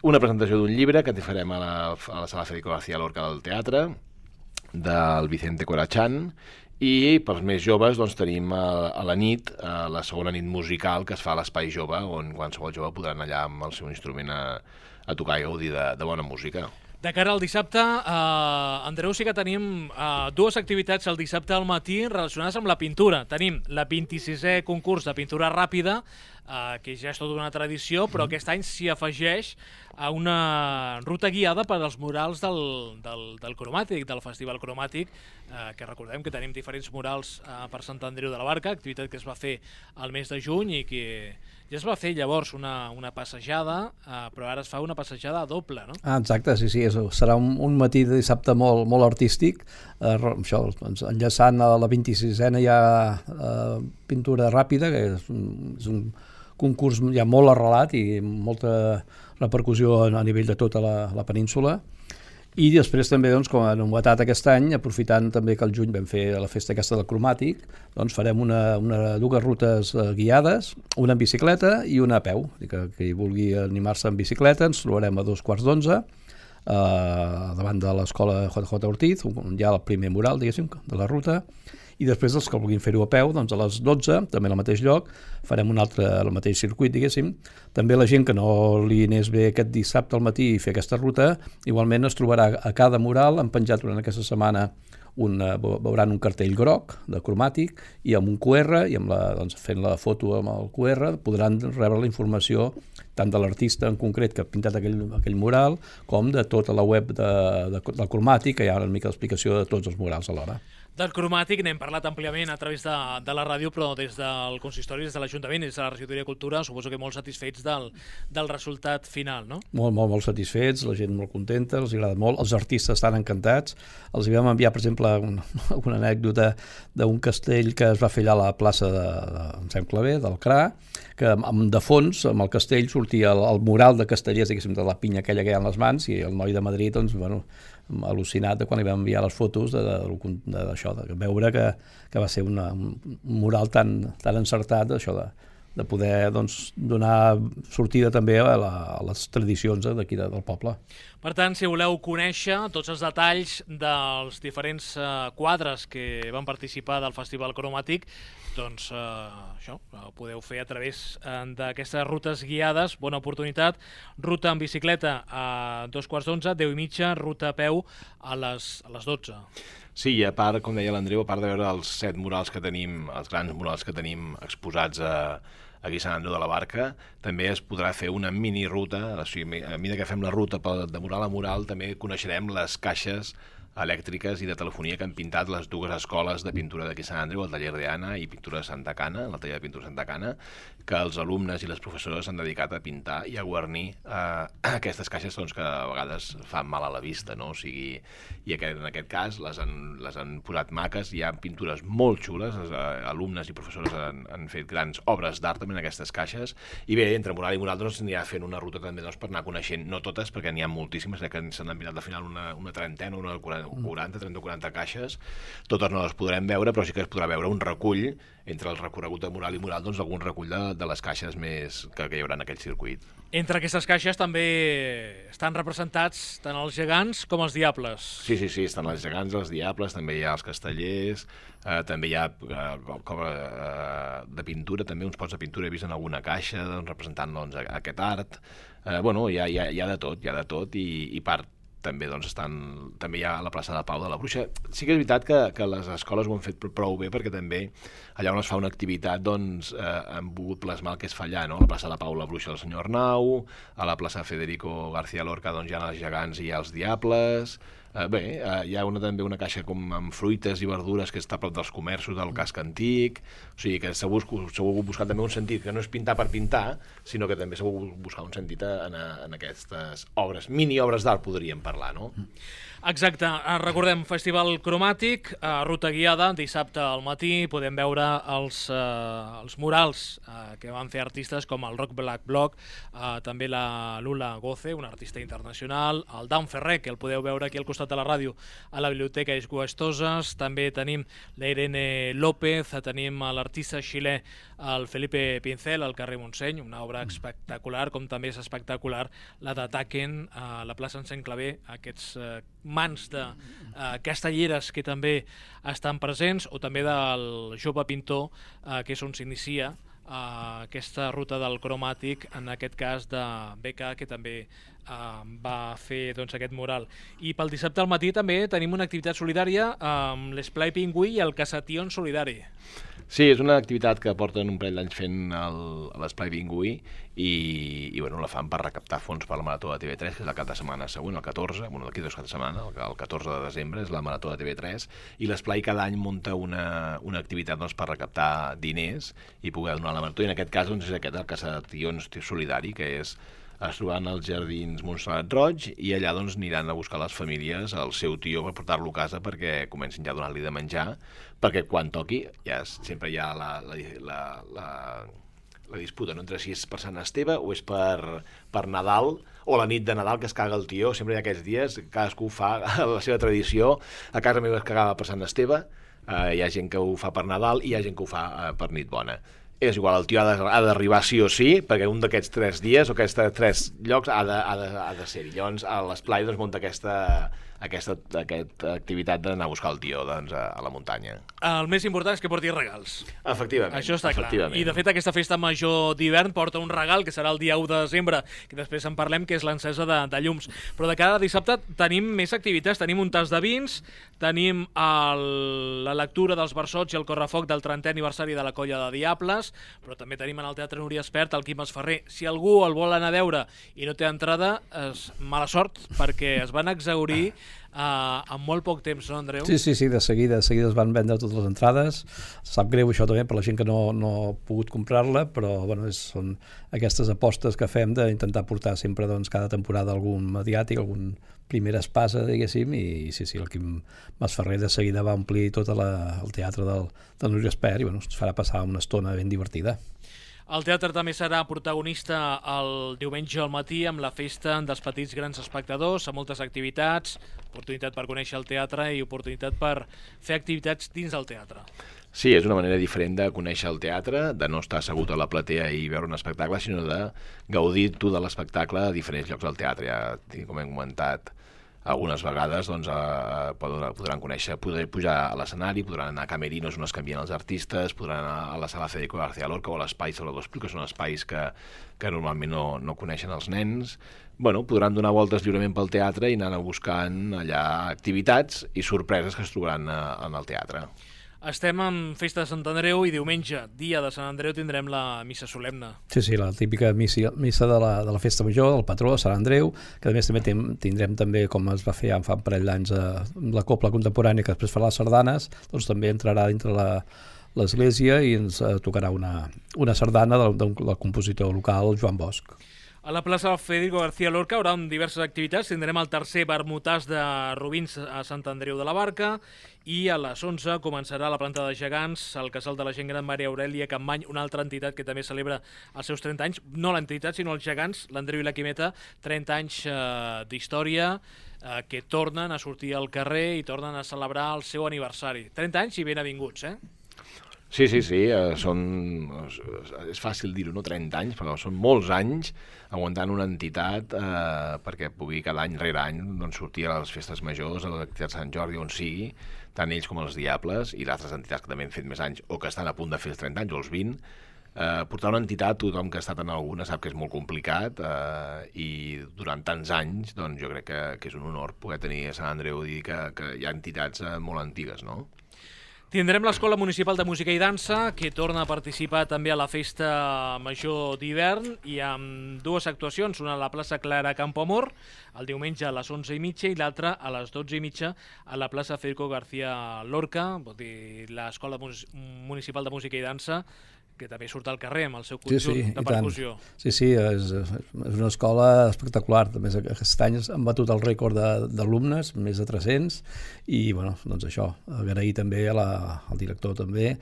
Una presentació d'un llibre que farem a la, a la sala Federico García Lorca del teatre, del Vicente Corachán, i pels més joves doncs, tenim a, a la nit, a la segona nit musical que es fa a l'Espai Jove, on qualsevol jove podrà anar allà amb el seu instrument a, a tocar i gaudir de, de bona música. De cara al dissabte, eh, Andreu, sí que tenim eh, dues activitats el dissabte al matí relacionades amb la pintura. Tenim la vint-i-sisè concurs de pintura ràpida, eh, que ja és tota una tradició, però aquest any s'hi afegeix a una ruta guiada per als murals del, del, del Cromàtic, del Festival Cromàtic, eh, que recordem que tenim diferents murals eh, per Sant Andreu de la Barca, activitat que es va fer al mes de juny i que ja es va fer llavors una, una passejada, eh, però ara es fa una passejada doble, no? Ah, exacte, sí, sí, és, serà un, un matí de dissabte molt, molt artístic, eh, això, doncs, enllaçant a la vint-i-sisena ja eh, pintura ràpida, que és un, és un concurs ja molt arrelat i molta repercussió a nivell de tota la, la península. I després també, doncs, com a novetat aquest any, aprofitant també que al juny vam fer la festa aquesta del Cromàtic, doncs farem una, una, dues rutes eh, guiades, una en bicicleta i una a peu. Que qui vulgui animar-se en bicicleta ens trobarem a dos quarts d'onze, eh, davant de l'escola J J Ortiz, on hi ha el primer mural, diguéssim, de la ruta, i després els que vulguin fer-ho a peu, doncs a les dotze, també al mateix lloc, farem un altre, al mateix circuit, diguéssim. També la gent que no li anés bé aquest dissabte al matí i fer aquesta ruta, igualment es trobarà a cada mural, han penjat durant aquesta setmana, un, veuran un cartell groc de Cromàtic i amb un Q R, i amb la, doncs, fent la foto amb el Q R podran rebre la informació tant de l'artista en concret que ha pintat aquell, aquell mural, com de tota la web de, de, del Cromàtic, que hi ha una mica d'explicació de tots els murals alhora. Del Cromàtic n'hem parlat àmpliament a través de, de la ràdio, però des del consistori, des de l'Ajuntament, des de la Regidoria de Cultura, suposo que molt satisfets del, del resultat final, no? Molt, molt, molt satisfets, la gent molt contenta, els agrada molt, els artistes estan encantats. Els vam enviar, per exemple, una, una anècdota d'un castell que es va fer allà a la plaça de, de em sembla bé, del C R A, que amb, de fons, amb el castell, sortia el, el mural de castellers, diguéssim, de la pinya aquella que hi ha en les mans, i el noi de Madrid, doncs, bueno, al·lucinat de quan li vam enviar les fotos d'això, de, de, de, de veure que, que va ser una, un mural tan, tan encertat, això de, de poder doncs, donar sortida també a, la, a les tradicions d'aquí del poble. Per tant, si voleu conèixer tots els detalls dels diferents eh, quadres que van participar del Festival Cromàtic, doncs eh, això, ho podeu fer a través eh, d'aquestes rutes guiades. Bona oportunitat. Ruta en bicicleta a dos quarts d'onze, deu i mitja, ruta a peu a les, a les dotze. Sí, i a part, com deia l'Andreu, a part de veure els set murals que tenim, els grans murals que tenim exposats a, aquí a Sant Andreu de la Barca, també es podrà fer una mini ruta, o sigui, a mesura que fem la ruta de mural a mural, també coneixerem les caixes elèctriques i de telefonia que han pintat les dues escoles de pintura d'aquí a Sant Andreu, el taller d'Anna i pintura de Santa Cana, el taller de pintura de Santa Cana, que els alumnes i les professores s'han dedicat a pintar i a guarnir eh, aquestes caixes doncs, que a vegades fan mal a la vista, no? O sigui, i aquest, en aquest cas les han, les han posat maques, hi ha pintures molt xules, els eh, alumnes i professores han, han fet grans obres d'art també en aquestes caixes, i bé, entre mural i mural doncs, anirà fent una ruta també doncs, per anar coneixent, no totes, perquè n'hi ha moltíssimes, que s'han pintat al final una, una trentena, una quaranta, trenta o quaranta caixes, totes no les podrem veure, però sí que es podrà veure un recull entre el recorregut de mural i mural, doncs algun recull de, de les caixes més que, que hi haurà en aquell circuit. Entre aquestes caixes també estan representats tant els gegants com els diables. Sí, sí, sí, estan els gegants, els diables, també hi ha els castellers, eh, també hi ha eh, com, eh, de pintura, també uns pots de pintura he vist en alguna caixa doncs, representant doncs, aquest art. Eh, bueno, hi ha, hi, ha, hi ha de tot, hi ha de tot i, i part també doncs, estan, també hi ha a la plaça de Pau de la Bruixa. Sí que és veritat que, que les escoles ho han fet prou bé, perquè també allà on es fa una activitat doncs, eh, han volgut plasmar el que es fa allà, no? A la plaça de Pau de la Bruixa del senyor Arnau, a la plaça Federico García Lorca doncs, hi ha els gegants i hi ha els diables. Eh, bé, eh, hi ha una, també una caixa com amb fruites i verdures que està a prop dels comerços del casc antic, o sigui que s'ha volgut buscar també un sentit que no és pintar per pintar, sinó que també s'ha volgut buscar un sentit en, en aquestes obres, mini-obres d'art podríem parlar, no? Exacte, recordem, Festival Cromàtic, ruta guiada, dissabte al matí, podem veure els, eh, els murals eh, que van fer artistes com el Rock Black Block, eh, també la Lula Goce, una artista internacional, el Dan Ferrer, que el podeu veure aquí al costat de la ràdio, a la Biblioteca Guastoses, també tenim la Irene López, tenim l'artista xilè, el Felipe Pincel, al carrer Montseny, una obra espectacular, com també és espectacular la de Taken, a la plaça Encén Clavé, aquests eh, mans de eh, castelleres que també estan presents, o també del jove pintor, eh, que és on s'inicia uh, aquesta ruta del cromàtic, en aquest cas de B K, que també uh, va fer doncs, aquest mural. I pel dissabte al matí també tenim una activitat solidària amb l'Esplai Pingüí i el Caçation Solidari. Sí, és una activitat que porten un parell d'anys fent l'Esplai Pingüí i, i bueno, la fan per recaptar fons per la Marató de T V tres, que és el cap de setmana següent, el catorze, bueno, d'aquí dos caps de setmana, el catorze de desembre és la Marató de T V tres, i l'Esplai cada any munta una, una activitat doncs, per recaptar diners i poder donar la Marató, i en aquest cas doncs, és aquest, el Caçation Solidari, que és es trobaran als jardins Montserrat Roig i allà doncs, aniran a buscar les famílies el seu tio per portar-lo a casa perquè comencin ja a donar-li de menjar, perquè quan toqui ja sempre hi ha la, la, la, la, la disputa, no? Entre si és per Sant Esteve o és per, per Nadal o la nit de Nadal que es caga el tió. Sempre hi ha aquests dies, cadascú fa la seva tradició. A casa meva es cagava per Sant Esteve, eh, hi ha gent que ho fa per Nadal i hi ha gent que ho fa eh, per nit bona. És igual, el tio ha d'arribar sí o sí, perquè un d'aquests tres dies o aquests tres llocs ha de, ha de, ha de ser-hi. Llavors, a l'Esplai doncs, munta aquesta, aquesta, aquesta activitat d'anar a buscar el tio doncs, a, a la muntanya. El més important és que porti regals. Efectivament. Això està clar. I, de fet, aquesta festa major d'hivern porta un regal, que serà el dia u de desembre, que després en parlem, que és l'encesa de, de llums. Però de cada dissabte tenim més activitats. Tenim un tas de vins, tenim el, la lectura dels versots i el correfoc del trentè aniversari de la Colla de Diables, però també tenim en el Teatre Núria Espert el Quim Esferrer. Si algú el vol anar a veure i no té entrada, és mala sort, perquè es van exhaurir uh, en molt poc temps, no, Andreu? Sí, sí, sí, de seguida, de seguida es van vendre totes les entrades. Sap greu això també per la gent que no, no ha pogut comprar-la, però bueno, és, són aquestes apostes que fem d'intentar portar sempre doncs, cada temporada algun mediàtic, algun primera espasa, diguéssim, i sí, sí, el Quim Masferrer de seguida va omplir tot la, el teatre del, del Núria Espert i bueno, ens farà passar una estona ben divertida. El teatre també serà protagonista el diumenge al matí amb la festa dels petits grans espectadors, amb moltes activitats, oportunitat per conèixer el teatre i oportunitat per fer activitats dins del teatre. Sí, és una manera diferent de conèixer el teatre, de no estar assegut a la platea i veure un espectacle, sinó de gaudir tu de l'espectacle a diferents llocs del teatre. Ja, com hem comentat algunes vegades, doncs, eh, podran, podran conèixer, podran pujar a l'escenari, podran anar a camerinos on es canvien els artistes, podran anar a la sala Federico García Lorca o a l'espai Salvador Espriu, que són espais que, que normalment no, no coneixen els nens. Bueno, podran donar voltes lliurement pel teatre i anar buscant allà activitats i sorpreses que es trobaran a, en el teatre. Estem en Festa de Sant Andreu i diumenge, dia de Sant Andreu, tindrem la missa solemne. Sí, sí, la típica missa, missa de, la, de la Festa Major, del patró de Sant Andreu, que a més també tindrem també, com es va fer ja fa un parell d'anys, la copla contemporània que després farà les sardanes, doncs també entrarà dintre la l'església i ens tocarà una, una sardana del, del compositor local Joan Bosch. A la plaça Federico García Lorca haurà diverses activitats. Tindrem el tercer vermutàs de Rubins a Sant Andreu de la Barca i a les onze començarà la planta de gegants, el casal de la gent gran Maria Aurèlia Campmany, una altra entitat que també celebra els seus trenta anys, no l'entitat sinó els gegants, l'Andreu i la Quimeta, trenta anys eh, d'història eh, que tornen a sortir al carrer i tornen a celebrar el seu aniversari. trenta anys i ben avinguts, eh? Sí, sí, sí, eh, són, és fàcil dir-ho, no trenta anys, però són molts anys aguantant una entitat eh, perquè pugui cada any rere any doncs, sortir a les festes majors, a les activitats de Sant Jordi, on sigui, tant ells com els Diables i altres entitats que també han fet més anys o que estan a punt de fer els trenta anys o els vint. Eh, portar una entitat, tothom que ha estat en alguna sap que és molt complicat eh, i durant tants anys doncs, jo crec que, que és un honor poder tenir a Sant Andreu i dir que, que hi ha entitats eh, molt antigues, no? Tindrem l'Escola Municipal de Música i Dansa, que torna a participar també a la Festa Major d'hivern i amb dues actuacions, una a la plaça Clara Campoamor, el diumenge a les onze i mitja i l'altra a les dotze i mitja a la plaça Federico García Lorca, vol dir l'Escola Municipal de Música i Dansa, que també surt al carrer amb el seu conjunt sí, sí, de percussió. Sí, sí, és, és una escola espectacular. També aquest any han batut el rècord d'alumnes, més de tres-cents, i bueno, doncs això, agrair també a la, al director també,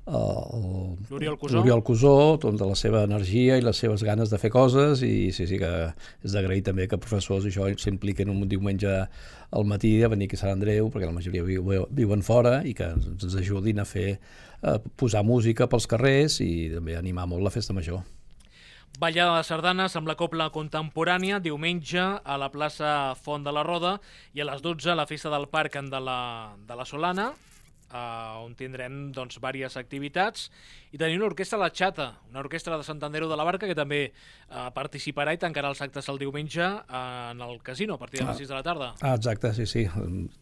l'Oriol Cusó, l'Oriol Cusó, doncs, de la seva energia i les seves ganes de fer coses, i sí, sí que és d'agrair també que professors això s'impliquen un diumenge al matí a venir aquí a Sant Andreu, perquè la majoria viuen fora, i que ens ajudin a fer a posar música pels carrers i també animar molt la festa major. Ballada de sardanes amb la copla contemporània, diumenge a la plaça Font de la Roda i a les dotze a la festa del Parc de la, de la Solana, on tindrem doncs, diverses activitats, i tenim una orquestra La Xata, una orquestra de Sant Andreu de la Barca que també eh, participarà i tancarà els actes el diumenge en el casino a partir de les sis de la tarda. Ah, exacte, sí, sí.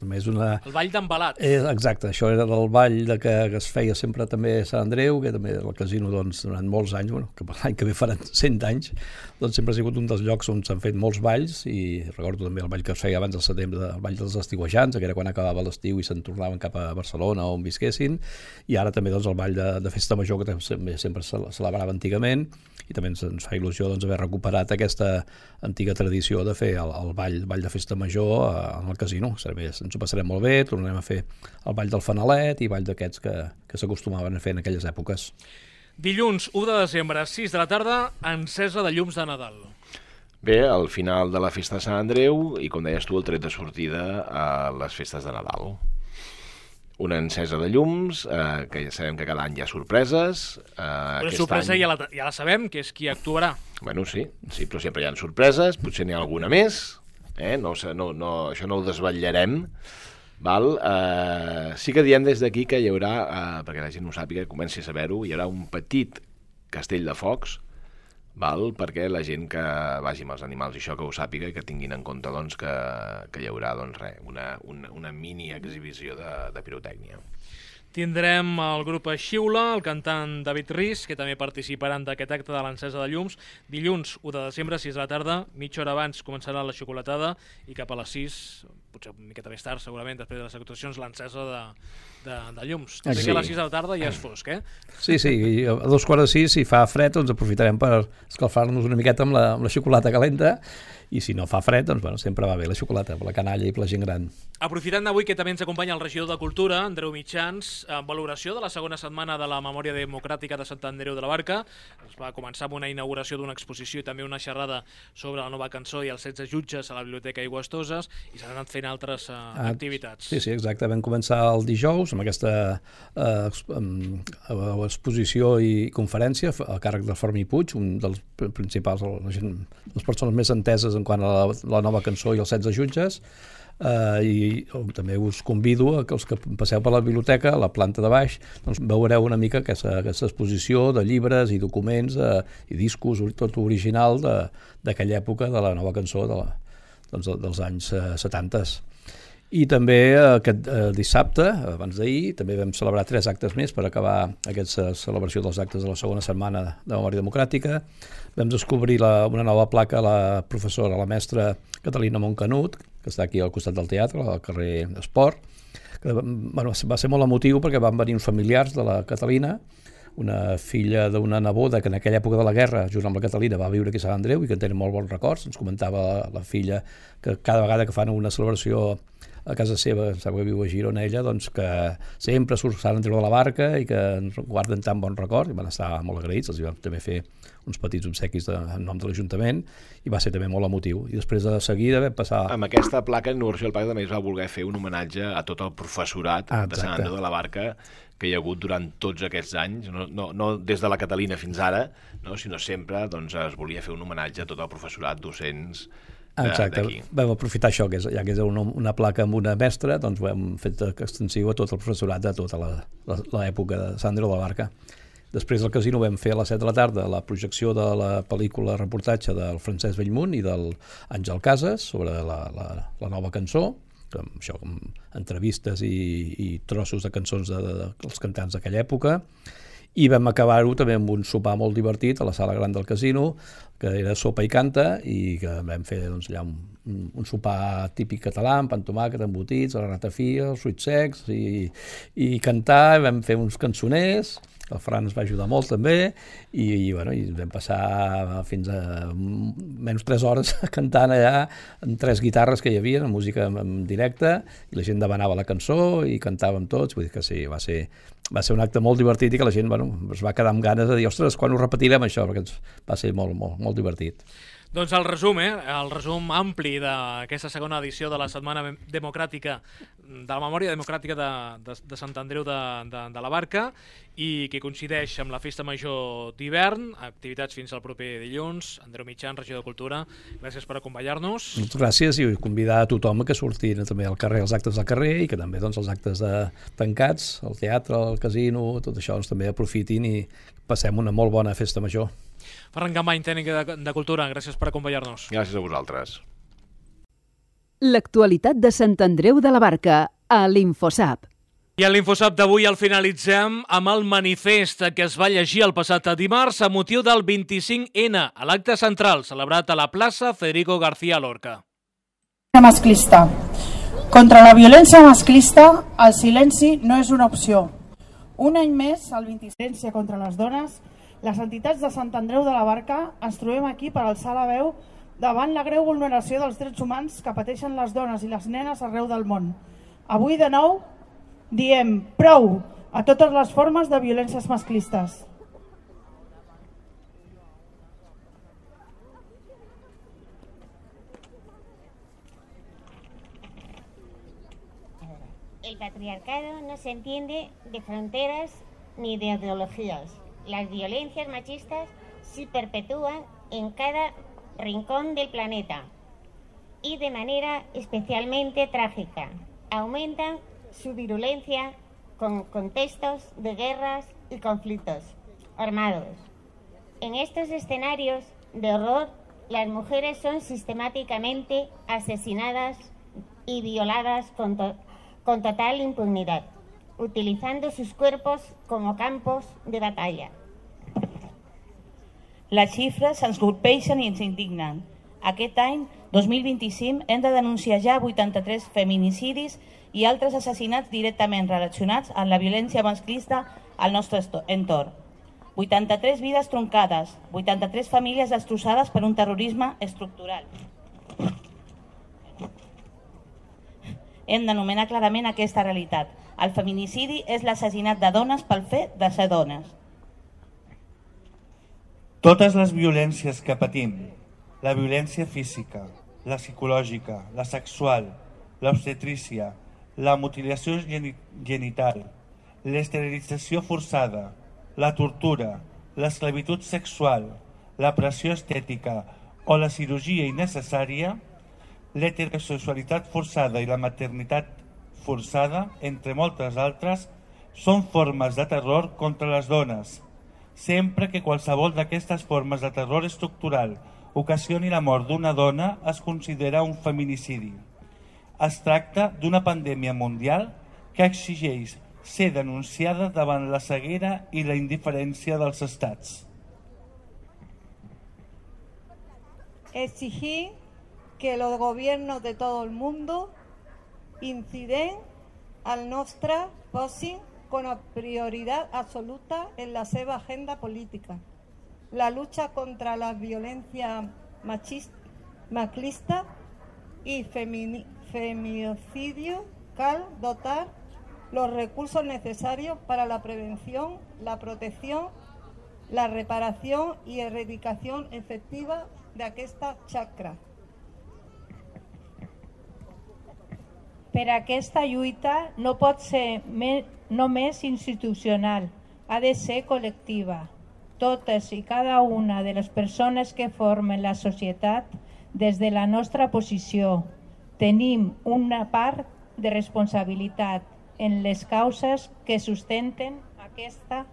També és una... El ball d'embalat. Eh, exacte, això era del ball de que, que es feia sempre també a Sant Andreu, que també el casino doncs, durant molts anys, bueno, que l'any que ve faran cent anys, doncs sempre ha sigut un dels llocs on s'han fet molts balls, i recordo també el ball que es feia abans del setembre, el ball dels estiuejants, que era quan acabava l'estiu i se'n tornaven cap a Barcelona on visquessin, i ara també doncs, el ball de, de Festa Major, que també sempre se celebrava antigament, i també ens, ens fa il·lusió doncs, haver recuperat aquesta antiga tradició de fer el, el ball, ball de Festa Major en el casino. Ens ho passarem molt bé, tornarem a fer el ball del Fanalet i ball d'aquests que, que s'acostumaven a fer en aquelles èpoques. Dilluns u de desembre, sis de la tarda, encesa de llums de Nadal. Bé, al final de la festa de Sant Andreu i, com deies tu, el tret de sortida a les festes de Nadal. Una encesa de llums, eh, que ja sabem que cada any hi ha sorpreses. Eh, Una sorpresa any... ja, la, ja la sabem, que és qui actuarà. Bueno, sí, sí, però sempre hi ha sorpreses, potser n'hi ha alguna més, eh? no, no, no, això no ho desvetllarem. Val? Eh, sí que diem des d'aquí que hi haurà, eh, perquè la gent ho sàpiga, comenci a saber-ho, hi haurà un petit castell de focs, val? Perquè la gent que vagi amb els animals i això que ho sàpiga i que tinguin en compte doncs, que, que hi haurà doncs, re, una, una, una mini exhibició de, de pirotècnia. Tindrem el grup Xiula, el cantant David Riz, que també participaran d'aquest acte de l'encesa de llums. Dilluns u de desembre, sis de la tarda, mitja hora abans començarà la xocolatada i cap a les sis, potser una miqueta més tard, segurament, després de les actuacions, l'encesa de, de, de llums. Tot sí. Que a les sis de la tarda ja és fosc, eh? Sí, sí, i a dos quarts de sis, si fa fred, doncs aprofitarem per escalfar-nos una miqueta amb la, amb la xocolata calenta, i si no fa fred, doncs bueno, sempre va bé la xocolata, per la canalla i per la gent gran. Aprofitant avui que també ens acompanya el regidor de Cultura, Andreu Mitjans, en valoració de la segona setmana de la Memòria Democràtica de Sant Andreu de la Barca, es va començar amb una inauguració d'una exposició i també una xerrada sobre la nova cançó i els setze jutges a la Biblioteca Aigües Toses, i s'han anat fent altres uh, ah, activitats. Sí, sí, exacte. Vam començar el dijous amb aquesta uh, exposició i conferència a càrrec del Fermí Puig, un dels principals, la gent, les persones més enteses en quant a la, la nova cançó i els setze jutges, uh, i oh, també us convido a que els que passeu per la biblioteca, a la planta de baix, doncs veureu una mica aquesta, aquesta exposició de llibres i documents uh, i discos, tot original d'aquella època de la nova cançó de la, doncs, dels anys uh, setanta. I també aquest eh, dissabte, abans d'ahir, també vam celebrar tres actes més per acabar aquesta celebració dels actes de la segona setmana de Memòria Democràtica. Vam descobrir la, una nova placa a la professora, la mestra Catalina Montcanut, que està aquí al costat del teatre, al carrer Esport. Que, bueno, va ser molt emotiu perquè van venir uns familiars de la Catalina, una filla d'una neboda que en aquella època de la guerra, junt amb la Catalina, va viure aquí a Sant Andreu i que en tenen molt bons records. Ens comentava la, la filla que cada vegada que fan una celebració a casa seva, em sap que viu a Girona ella, doncs que sempre surt Sant Andreu de la Barca i que ens guarden tan bon record, i van estar molt agraïts, els vam també fer uns petits obsequis de, en nom de l'Ajuntament, i va ser també molt emotiu. I després de seguida vam passar... Amb aquesta placa, l'inauguració del Parc també es va voler fer un homenatge a tot el professorat ah, de Sant Andreu de la Barca que hi ha hagut durant tots aquests anys, no, no, no des de la Catalina fins ara, no, sinó sempre doncs, es volia fer un homenatge a tot el professorat, docents. Exacte, vam aprofitar això, que és, ja que és una, una placa amb una mestra, doncs ho hem fet extensiu a tot el professorat de tota l'època de Sant Andreu de la Barca. Després del casino vam fer a les set de la tarda la projecció de la pel·lícula reportatge del Francesc Bellmunt i del Àngel Casas sobre la, la, la nova cançó, amb, això, amb entrevistes i, i trossos de cançons de, de, de, dels cantants d'aquella època. I vam acabar-ho també amb un sopar molt divertit a la sala gran del casino, que era sopa i canta, i que vam fer doncs, allà un, un sopar típic català, amb pa amb tomàquet, embotits, la ratafia, els fruits secs, i, i cantar, vam fer uns cançoners, el Fran ens va ajudar molt també, i, i, bueno, i vam passar fins a menys tres hores cantant allà amb tres guitarres que hi havia, amb música en, en directe, i la gent demanava la cançó i cantàvem tots, vull dir que sí, va ser, va ser un acte molt divertit i que la gent bueno, es va quedar amb ganes de dir, ostres, quan ho repetirem això? Perquè va ser molt, molt, molt divertit. Doncs el resum, eh? El resum ampli d'aquesta segona edició de la Setmana Democràtica, de la Memòria Democràtica de, de, de Sant Andreu de, de, de la Barca, i que coincideix amb la Festa Major d'hivern, activitats fins al proper dilluns. Andreu Mitjan, regidor de Cultura, gràcies per acompanyar-nos. Moltes gràcies, i convidar a tothom que surtin també al carrer, als actes del carrer, i que també doncs, els actes de tancats, el teatre, el casino, tot això doncs, també aprofitin i passem una molt bona Festa Major. Ferran Campany, tècnic de, de Cultura, gràcies per acompanyar-nos. Gràcies a vosaltres. L'actualitat de Sant Andreu de la Barca, a l'Infosap. I a l'Infosap d'avui el finalitzem amb el manifest que es va llegir el passat dimarts a motiu del vint-i-cinc ena, a l'acte central celebrat a la plaça Federico García Lorca. Masclista. Contra la violència masclista, el silenci no és una opció. Un any més, el vint-i-cinc contra les dones, les entitats de Sant Andreu de la Barca ens trobem aquí per alçar la veu davant la greu vulneració dels drets humans que pateixen les dones i les nenes arreu del món. Avui, de nou, diem prou a totes les formes de violències masclistes. El patriarcado no se entiende de fronteras ni de ideologías. Las violencias machistas se perpetúan en cada rincón del planeta y de manera especialmente trágica. Aumentan su virulencia con contextos de guerras y conflictos armados. En estos escenarios de horror, las mujeres son sistemáticamente asesinadas y violadas con, to- con total impunidad, utilizando sus cuerpos como campos de batalla. Les xifres ens colpeixen i ens indignen. Aquest any, dos mil vint-i-cinc, hem de denunciar ja vuitanta-tres feminicidis i altres assassinats directament relacionats amb la violència masclista al nostre entorn. vuitanta-tres vides troncades, vuitanta-tres famílies destrossades per un terrorisme estructural. Hem d'anomenar clarament aquesta realitat. El feminicidi és l'assassinat de dones pel fet de ser dones. Totes les violències que patim, la violència física, la psicològica, la sexual, l'obstetrícia, la mutilació genital, l'esterilització forçada, la tortura, l'esclavitud sexual, la pressió estètica o la cirurgia innecessària, l'heterosexualitat forçada i la maternitat forçada, entre moltes altres, són formes de terror contra les dones, sempre que qualsevol d'aquestes formes de terror estructural ocasioni la mort d'una dona es considera un feminicidi. Es tracta d'una pandèmia mundial que exigeix ser denunciada davant la ceguera i la indiferència dels estats. Exigir que los gobiernos de todo el mundo inciden al nostre posin con prioridad absoluta en la seva agenda política. La lucha contra la violencia machista, maclista y femini, feminicidio cal dotar los recursos necesarios para la prevención, la protección, la reparación y erradicación efectiva d'aquesta xacra. Per aquesta lluita no pot ser me, només institucional, ha de ser col·lectiva. Totes i cada una de les persones que formen la societat, des de la nostra posició, tenim una part de responsabilitat en les causes que sustenten aquesta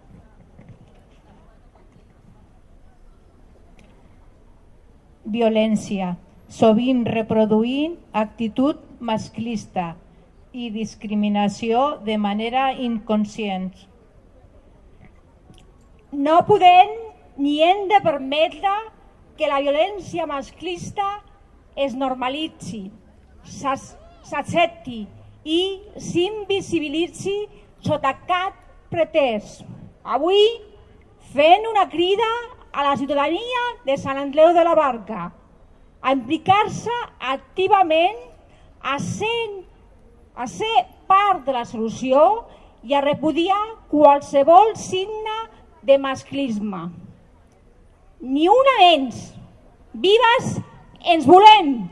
violència, sovint reproduint actitud masclista i discriminació de manera inconscient. No podem ni hem de permetre que la violència masclista es normalitzi, s'accepti i s'invisibilitzi sota cap pretès. Avui fent una crida a la ciutadania de Sant Andreu de la Barca a implicar-se activament, a ser, a ser part de la solució i a repudiar qualsevol signe de masclisme. Ni una menys, Vives ens volem!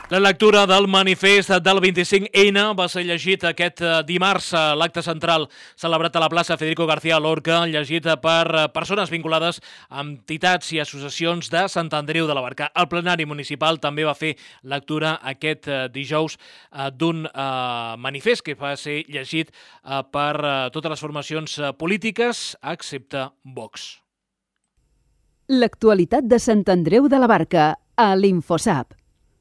La lectura del manifest del vint-i-cinc ene va ser llegit aquest dimarts a l'acte central celebrat a la plaça Federico García Lorca, llegit per persones vinculades a entitats i associacions de Sant Andreu de la Barca. El plenari municipal també va fer lectura aquest dijous d'un manifest que va ser llegit per totes les formacions polítiques, excepte Vox. L'actualitat de Sant Andreu de la Barca, a l'Infosap.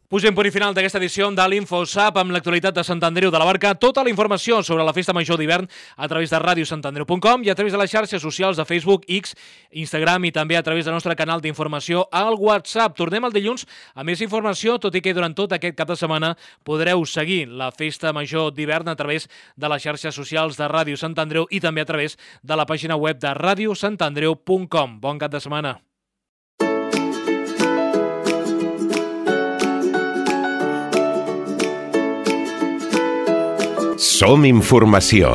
Posem punt i final d'aquesta edició de l'Infosap amb l'actualitat de Sant Andreu de la Barca. Tota la informació sobre la Festa Major d'hivern a través de ràdio sant andreu punt com i a través de les xarxes socials de Facebook, X, Instagram i també a través del nostre canal d'informació al WhatsApp. Tornem el dilluns amb més informació, tot i que durant tot aquest cap de setmana podreu seguir la Festa Major d'hivern a través de les xarxes socials de Ràdio Sant Andreu i també a través de la pàgina web de ràdio sant andreu punt com. Bon cap de setmana. Som informació.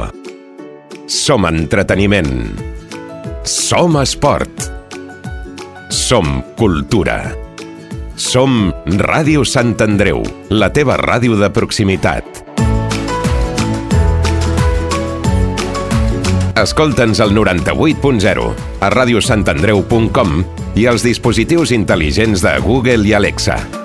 Som entreteniment. Som esport. Som cultura. Som Ràdio Sant Andreu, la teva ràdio de proximitat. Escolta'ns al noranta-vuit punt zero, a ràdio sant andreu punt com i als dispositius intel·ligents de Google i Alexa.